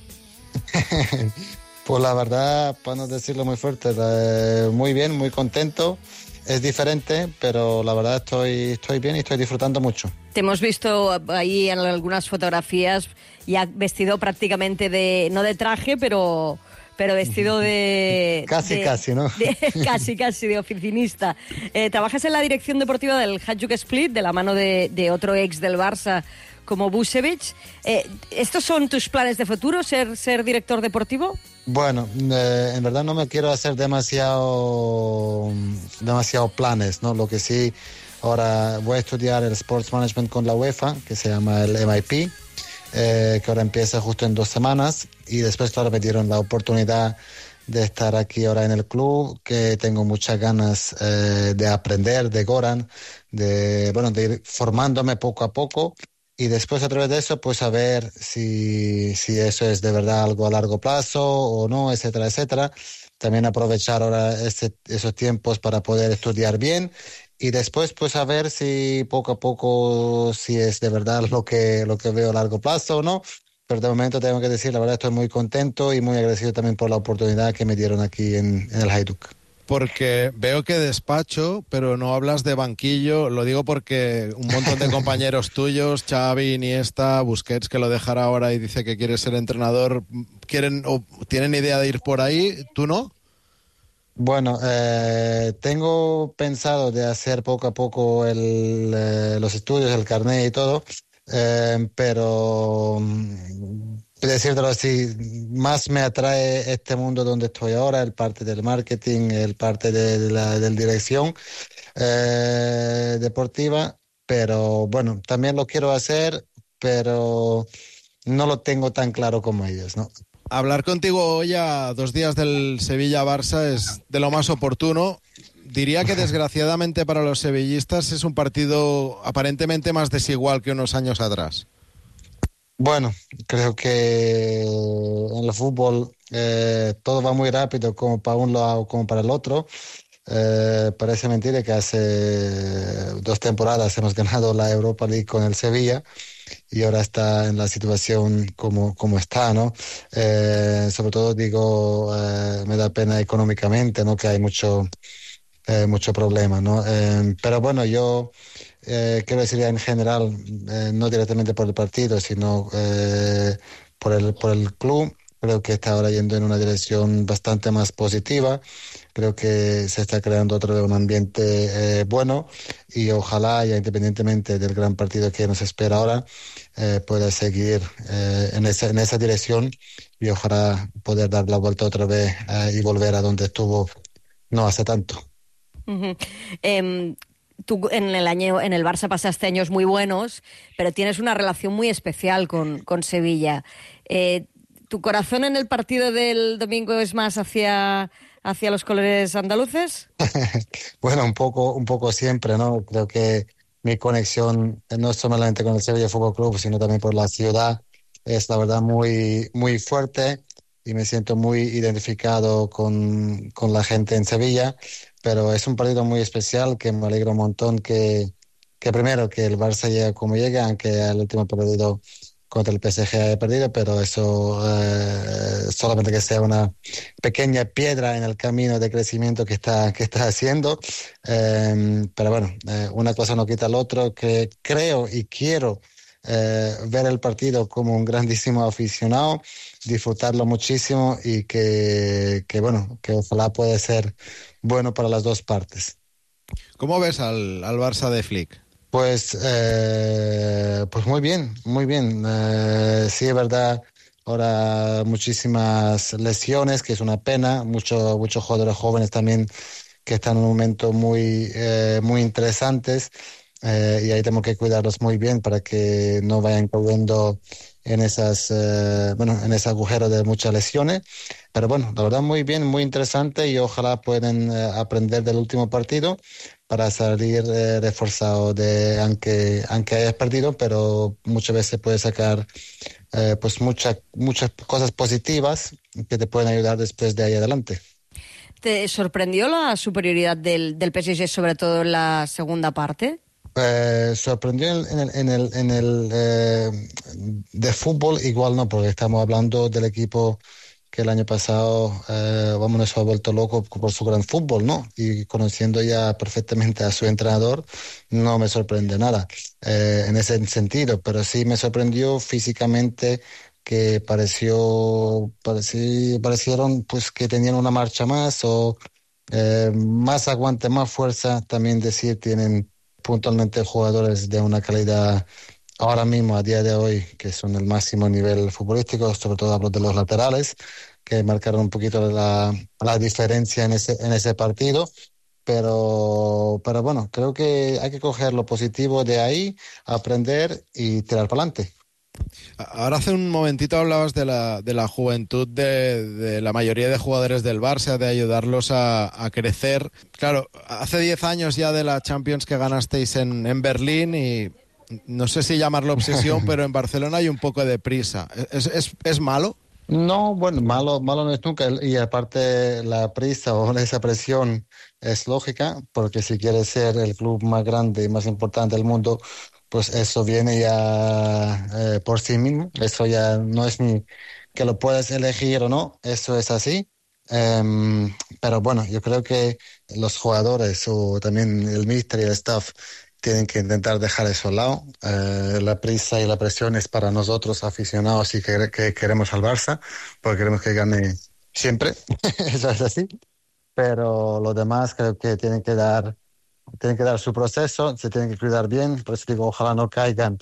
Pues la verdad, para no decirlo muy fuerte, eh, muy bien, muy contento. Es diferente, pero la verdad estoy, estoy bien y estoy disfrutando mucho. Te hemos visto ahí en algunas fotografías ya vestido prácticamente de, no de traje, pero, pero vestido de... Casi, de, casi, ¿no? De, casi, casi, de oficinista. Eh, trabajas en la dirección deportiva del Hajduk Split, de la mano de, de otro ex del Barça como Vucevic. Eh, ¿Estos son tus planes de futuro, ser, ser director deportivo? Bueno, eh, en verdad no me quiero hacer demasiado, demasiado planes, ¿no? Lo que sí, ahora voy a estudiar el Sports Management con la UEFA, que se llama el M I P, eh, que ahora empieza justo en dos semanas, y después, claro, me dieron la oportunidad de estar aquí ahora en el club, que tengo muchas ganas eh, de aprender de Goran, de, bueno, de ir formándome poco a poco. Y después, a través de eso, pues a ver si, si eso es de verdad algo a largo plazo o no, etcétera, etcétera. También aprovechar ahora ese, esos tiempos para poder estudiar bien y después, pues a ver si poco a poco, si es de verdad lo que, lo que veo a largo plazo o no. Pero de momento tengo que decir, la verdad estoy muy contento y muy agradecido también por la oportunidad que me dieron aquí en, en el Hajduk. Porque veo que despacho, pero no hablas de banquillo. Lo digo porque un montón de compañeros tuyos, Xavi, Iniesta, Busquets, que lo dejará ahora y dice que quiere ser entrenador, quieren o tienen idea de ir por ahí. ¿Tú no? Bueno, eh, tengo pensado de hacer poco a poco el, eh, los estudios, el carnet y todo, eh, pero... decírtelo así, más me atrae este mundo donde estoy ahora, el parte del marketing, el parte de la del dirección eh, deportiva, pero bueno, también lo quiero hacer, pero no lo tengo tan claro como ellos, ¿no? Hablar contigo hoy a dos días del Sevilla-Barça es de lo más oportuno. Diría que desgraciadamente para los sevillistas es un partido aparentemente más desigual que unos años atrás. Bueno, creo que en el fútbol eh, todo va muy rápido, como para un lado como para el otro. Eh, parece mentira que hace dos temporadas hemos ganado la Europa League con el Sevilla y ahora está en la situación como, como está, ¿no? Eh, sobre todo digo, eh, me da pena económicamente, ¿no? Que hay mucho, eh, mucho problema, ¿no? Eh, pero bueno, yo... Eh, quiero decir en general, eh, no directamente por el partido, sino eh, por el, por el club. Creo que está ahora yendo en una dirección bastante más positiva. Creo que se está creando otro un ambiente eh, bueno y ojalá, ya independientemente del gran partido que nos espera ahora, eh, pueda seguir eh, en, esa, en esa dirección y ojalá poder dar la vuelta otra vez eh, y volver a donde estuvo no hace tanto. Uh-huh. Um... Tú en el año en el Barça pasaste años muy buenos, pero tienes una relación muy especial con, con Sevilla. Eh, ¿Tu corazón en el partido del domingo es más hacia, hacia los colores andaluces? Bueno, un poco, un poco siempre, ¿no? Creo que mi conexión no es solamente con el Sevilla Fútbol Club, sino también por la ciudad. Es la verdad muy, muy fuerte y me siento muy identificado con, con la gente en Sevilla. Pero es un partido muy especial que me alegra un montón que, que primero que el Barça llegue como llega, aunque el último partido contra el P S G haya perdido, pero eso eh, solamente que sea una pequeña piedra en el camino de crecimiento que está, que está haciendo. Eh, pero bueno, eh, una cosa no quita al otro, que creo y quiero eh, ver el partido como un grandísimo aficionado, disfrutarlo muchísimo y que, que bueno, que ojalá pueda ser bueno para las dos partes. ¿Cómo ves al, al Barça de Flick? Pues, eh, pues muy bien, muy bien. Eh, sí, es verdad, ahora muchísimas lesiones, que es una pena. Muchos muchos jugadores jóvenes también que están en un momento muy, eh, muy interesantes. Eh, y ahí tenemos que cuidarlos muy bien para que no vayan cayendo en esas eh, bueno en ese agujero de muchas lesiones, pero bueno, la verdad muy bien, muy interesante y ojalá puedan eh, aprender del último partido para salir eh, reforzado de aunque aunque hayas perdido, pero muchas veces puedes sacar eh, pues muchas muchas cosas positivas que te pueden ayudar después de ahí adelante. ¿Te sorprendió la superioridad del, del P S G, sobre todo en la segunda parte? Eh, sorprendió en el, en el, en el eh, de fútbol igual no, porque estamos hablando del equipo que el año pasado eh, vamos, nos ha vuelto loco por su gran fútbol, ¿no? Y conociendo ya perfectamente a su entrenador, no me sorprende nada eh, en ese sentido, pero sí me sorprendió físicamente que pareció, parecí, parecieron pues que tenían una marcha más o eh, más aguante, más fuerza. También decir, tienen puntualmente jugadores de una calidad ahora mismo, a día de hoy, que son el máximo nivel futbolístico, sobre todo hablo de los laterales, que marcaron un poquito la, la diferencia en ese, en ese partido. Pero, pero bueno, creo que hay que coger lo positivo de ahí, aprender y tirar para adelante. Ahora hace un momentito hablabas de la, de la juventud de, de la mayoría de jugadores del Barça, de ayudarlos a, a crecer. Claro, hace diez años ya de la Champions que ganasteis en, en Berlín y no sé si llamarlo obsesión, pero en Barcelona hay un poco de prisa. ¿Es, es, es malo? No, bueno, malo, malo no es nunca. Y aparte la prisa o esa presión es lógica, porque si quieres ser el club más grande y más importante del mundo, pues eso viene ya eh, por sí mismo. Eso ya no es ni que lo puedes elegir o no, eso es así. Um, pero bueno, yo creo que los jugadores o también el míster y el staff tienen que intentar dejar eso al lado. Eh, la prisa y la presión es para nosotros aficionados y que, que queremos al Barça, porque queremos que gane siempre. Eso es así. Pero los demás creo que tienen que dar tienen que dar su proceso, se tienen que cuidar bien. Por eso digo, ojalá no caigan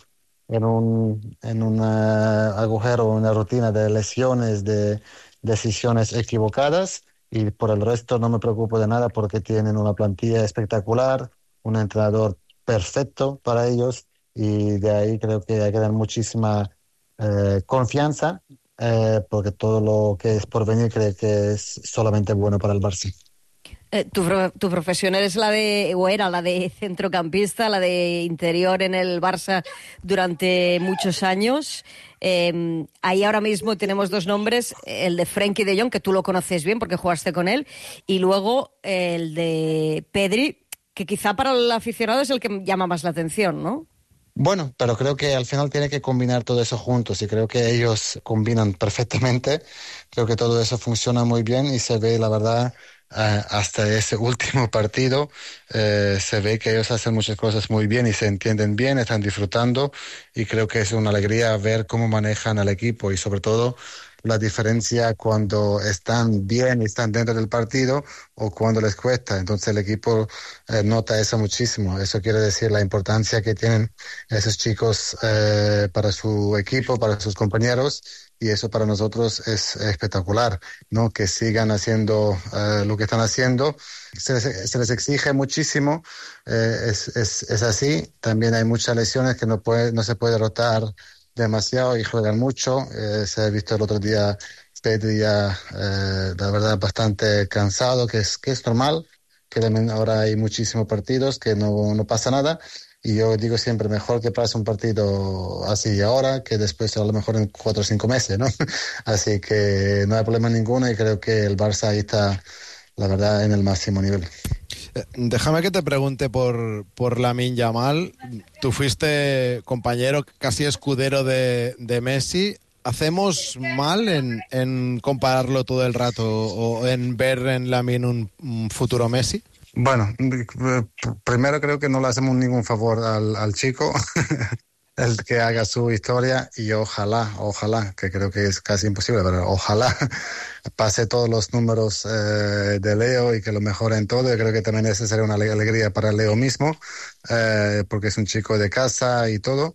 en un, en un uh, agujero, una rutina de lesiones, de decisiones equivocadas. Y por el resto no me preocupo de nada porque tienen una plantilla espectacular, un entrenador perfecto para ellos, y de ahí creo que hay que dar muchísima eh, confianza eh, porque todo lo que es por venir creo que es solamente bueno para el Barça. Eh, tu, tu profesión es la de, o era la de centrocampista, la de interior en el Barça durante muchos años. Eh, ahí ahora mismo tenemos dos nombres, el de Frenkie de Jong, que tú lo conoces bien porque jugaste con él, y luego el de Pedri, que quizá para el aficionado es el que llama más la atención, ¿no? Bueno, pero creo que al final tiene que combinar todo eso juntos y creo que ellos combinan perfectamente. Creo que todo eso funciona muy bien y se ve, la verdad, Uh, hasta ese último partido uh, se ve que ellos hacen muchas cosas muy bien y se entienden bien, están disfrutando, y creo que es una alegría ver cómo manejan al equipo y sobre todo la diferencia cuando están bien y están dentro del partido o cuando les cuesta. Entonces el equipo uh, nota eso muchísimo. Eso quiere decir la importancia que tienen esos chicos uh, para su equipo, para sus compañeros. Y eso para nosotros es espectacular, ¿no? Que sigan haciendo uh, lo que están haciendo. Se les, se les exige muchísimo, eh, es, es, es así. También hay muchas lesiones que no, puede, no se puede rotar demasiado y juegan mucho. Eh, se ha visto el otro día Pedri ya, eh, la verdad, bastante cansado, que es, que es normal, que también ahora hay muchísimos partidos que no, no pasa nada. Y yo digo siempre, mejor que pase un partido así ahora que después a lo mejor en cuatro o cinco meses, ¿no? Así que no hay problema ninguno y creo que el Barça ahí está, la verdad, en el máximo nivel. Eh, déjame que te pregunte por, por Lamine Yamal. Tú fuiste compañero, casi escudero de, de Messi. ¿Hacemos mal en, en compararlo todo el rato o en ver en Lamine un, un futuro Messi? Bueno, primero creo que no le hacemos ningún favor al, al chico, el que haga su historia, y ojalá, ojalá, que creo que es casi imposible, pero ojalá pase todos los números eh, de Leo y que lo mejore en todo. Yo creo que también esa sería una alegría para Leo mismo, eh, porque es un chico de casa y todo.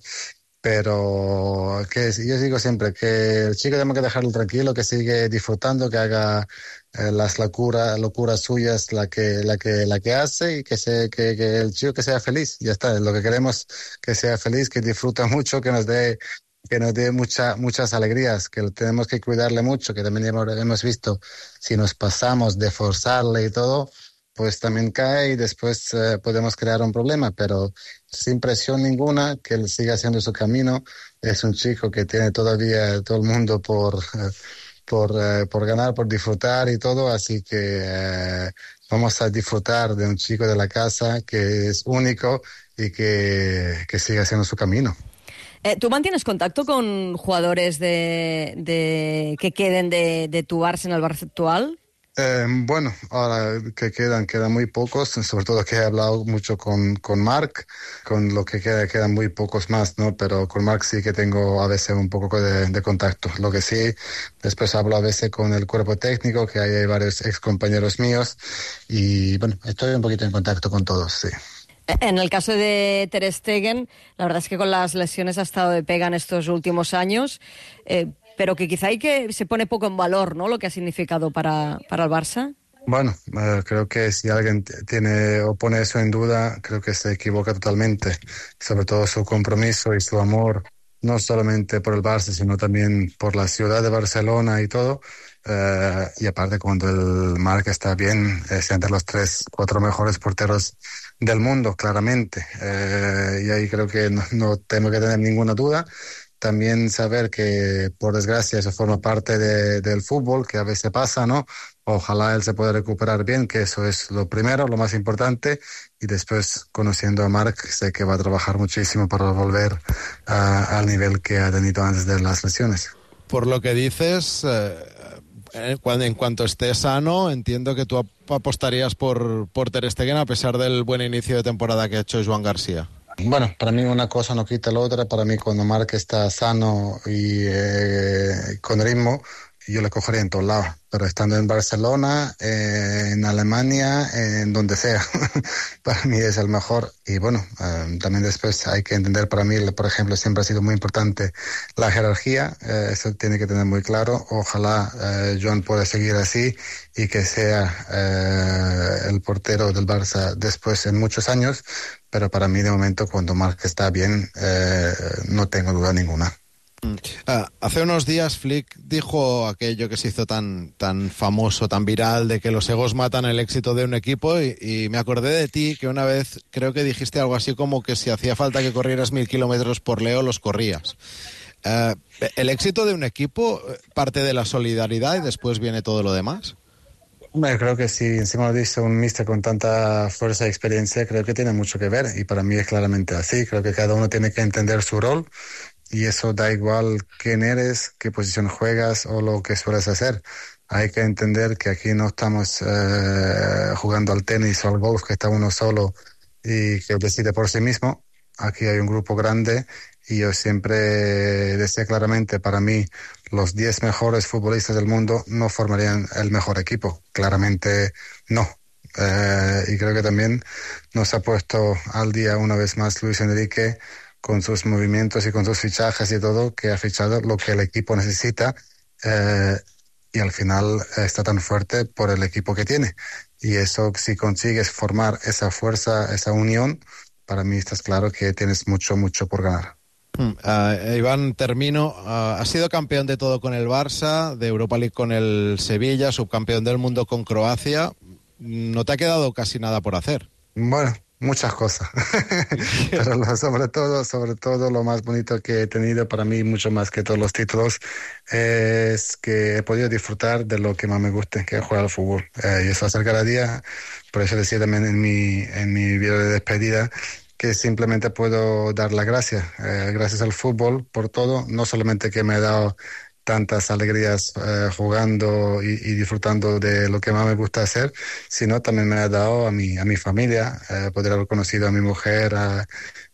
Pero que yo digo siempre que el chico tenemos que dejarlo tranquilo, que sigue disfrutando, que haga eh, las locuras locuras suyas, la que la que la que hace, y que se que, que el chico que sea feliz. Ya está, lo que queremos, que sea feliz, que disfruta mucho, que nos dé que nos dé mucha, muchas alegrías, que tenemos que cuidarle mucho, que también hemos, hemos visto, si nos pasamos de forzarle y todo, pues también cae y después eh, podemos crear un problema, pero sin presión ninguna, que él siga haciendo su camino. Es un chico que tiene todavía todo el mundo por, eh, por, eh, por ganar, por disfrutar y todo, así que eh, vamos a disfrutar de un chico de la casa que es único y que, que siga haciendo su camino. Eh, ¿Tú mantienes contacto con jugadores de, de que queden de, de tu Barça en el Barça actual? Eh, bueno, ahora que quedan, quedan muy pocos, sobre todo que he hablado mucho con, con Marc, con lo que queda, quedan muy pocos más, ¿no? Pero con Marc sí que tengo a veces un poco de, de contacto. Lo que sí, después hablo a veces con el cuerpo técnico, que hay varios ex compañeros míos, y bueno, estoy un poquito en contacto con todos, sí. En el caso de Ter Stegen, la verdad es que con las lesiones ha estado de pega en estos últimos años, eh, pero que quizá hay que se pone poco en valor, ¿no?, lo que ha significado para, para el Barça. Bueno, eh, creo que si alguien tiene o pone eso en duda, creo que se equivoca totalmente. Sobre todo su compromiso y su amor, no solamente por el Barça, sino también por la ciudad de Barcelona y todo. Uh, y aparte, cuando el Marc está bien, es entre los tres, cuatro mejores porteros del mundo, claramente. Uh, y ahí creo que no, no tengo que tener ninguna duda. También saber que, por desgracia, eso forma parte de, del fútbol, que a veces pasa, ¿no? Ojalá él se pueda recuperar bien, que eso es lo primero, lo más importante. Y después, conociendo a Marc, sé que va a trabajar muchísimo para volver uh, al nivel que ha tenido antes de las lesiones. Por lo que dices, eh, cuando, en cuanto esté sano, entiendo que tú apostarías por, por Ter Stegen a pesar del buen inicio de temporada que ha hecho Joan García. Bueno, para mí una cosa no quita la otra. Para mí, cuando Marc está sano y eh, con ritmo, yo le cogería en todos lados. Pero estando en Barcelona, eh, en Alemania, eh, en donde sea, para mí es el mejor. Y bueno, eh, también después hay que entender, para mí, por ejemplo, siempre ha sido muy importante la jerarquía. Eh, eso tiene que tener muy claro. Ojalá eh, Joan pueda seguir así y que sea eh, el portero del Barça después en muchos años. Pero para mí, de momento, cuando Marc está bien, eh, no tengo duda ninguna. Uh, hace unos días Flick dijo aquello que se hizo tan, tan famoso, tan viral, de que los egos matan el éxito de un equipo, y, y me acordé de ti, que una vez creo que dijiste algo así como que si hacía falta que corrieras mil kilómetros por Leo, los corrías. Uh, ¿El éxito de un equipo parte de la solidaridad y después viene todo lo demás? Bueno, creo que si encima lo dice un míster con tanta fuerza y experiencia, creo que tiene mucho que ver, y para mí es claramente así. Creo que cada uno tiene que entender su rol, y eso da igual quién eres, qué posición juegas o lo que sueles hacer. Hay que entender que aquí no estamos eh, jugando al tenis o al golf, que está uno solo y que decide por sí mismo. Aquí hay un grupo grande, y yo siempre decía claramente, para mí, los diez mejores futbolistas del mundo no formarían el mejor equipo. Claramente no. Eh, y creo que también nos ha puesto al día una vez más Luis Enrique, con sus movimientos y con sus fichajes y todo, que ha fichado lo que el equipo necesita, eh, y al final está tan fuerte por el equipo que tiene. Y eso, si consigues formar esa fuerza, esa unión, para mí estás claro que tienes mucho, mucho por ganar. Uh, Iván, termino. Uh, has sido campeón de todo con el Barça, de Europa League con el Sevilla, subcampeón del mundo con Croacia. No te ha quedado casi nada por hacer. Bueno, muchas cosas. Pero lo, sobre todo, sobre todo lo más bonito que he tenido para mí, mucho más que todos los títulos, es que he podido disfrutar de lo que más me gusta, que es jugar al fútbol. Eh, y eso hacer cada día. Por eso decía también en mi, en mi video de despedida que simplemente puedo dar las gracias, eh, gracias al fútbol por todo, no solamente que me ha dado tantas alegrías eh, jugando y, y disfrutando de lo que más me gusta hacer, sino también me ha dado a mi, a mi familia, eh, poder haber conocido a mi mujer a,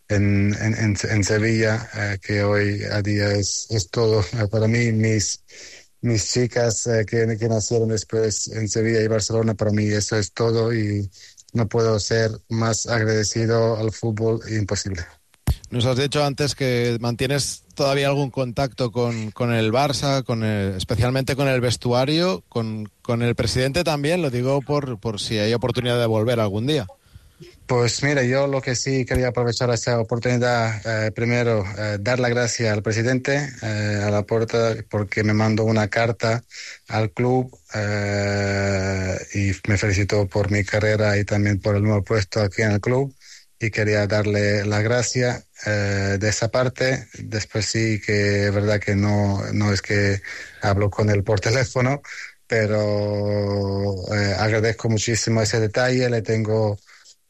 en, en, en, en Sevilla, eh, que hoy a día es, es todo eh, para mí. Mis, mis chicas eh, que, que nacieron después en Sevilla y Barcelona, para mí eso es todo, y no puedo ser más agradecido al fútbol, imposible. Nos has dicho antes que mantienes todavía algún contacto con, con el Barça, con el, especialmente con el vestuario, con, con el presidente también, lo digo por, por si hay oportunidad de volver algún día. Pues mira, yo lo que sí quería aprovechar esa oportunidad, eh, primero, eh, dar la gracia al presidente, eh, a Laporta, porque me mandó una carta al club eh, y me felicitó por mi carrera y también por el nuevo puesto aquí en el club, y quería darle la gracia eh, de esa parte. Después sí que es verdad que no, no es que hablo con él por teléfono, pero eh, agradezco muchísimo ese detalle. Le tengo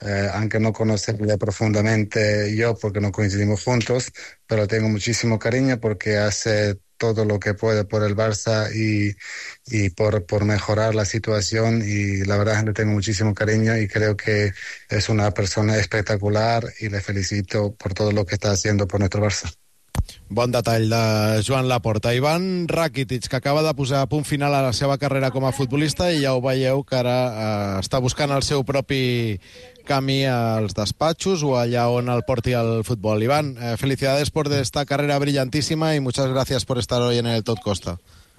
eh, aunque no conocerle profundamente yo porque no coincidimos juntos, pero tengo muchísimo cariño porque hace todo lo que puede por el Barça y, y por, por mejorar la situación, y la verdad es que le tengo muchísimo cariño y creo que es una persona espectacular y le felicito por todo lo que está haciendo por nuestro Barça. Bon detall de Joan Laporta. Ivan Rakitic, que acaba de posar a punt final a la seva carrera com a futbolista, i ja ho veieu que ara eh, està buscant el seu propi camí als despatxos o allà on el porti el futbol. Iván, eh, felicidades por esta carrera brillantísima y muchas gracias por estar hoy en el Tot Costa.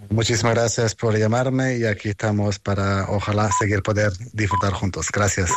Muchísimas gracias por llamarme y aquí estamos para, ojalá, seguir poder disfrutar juntos. Gracias.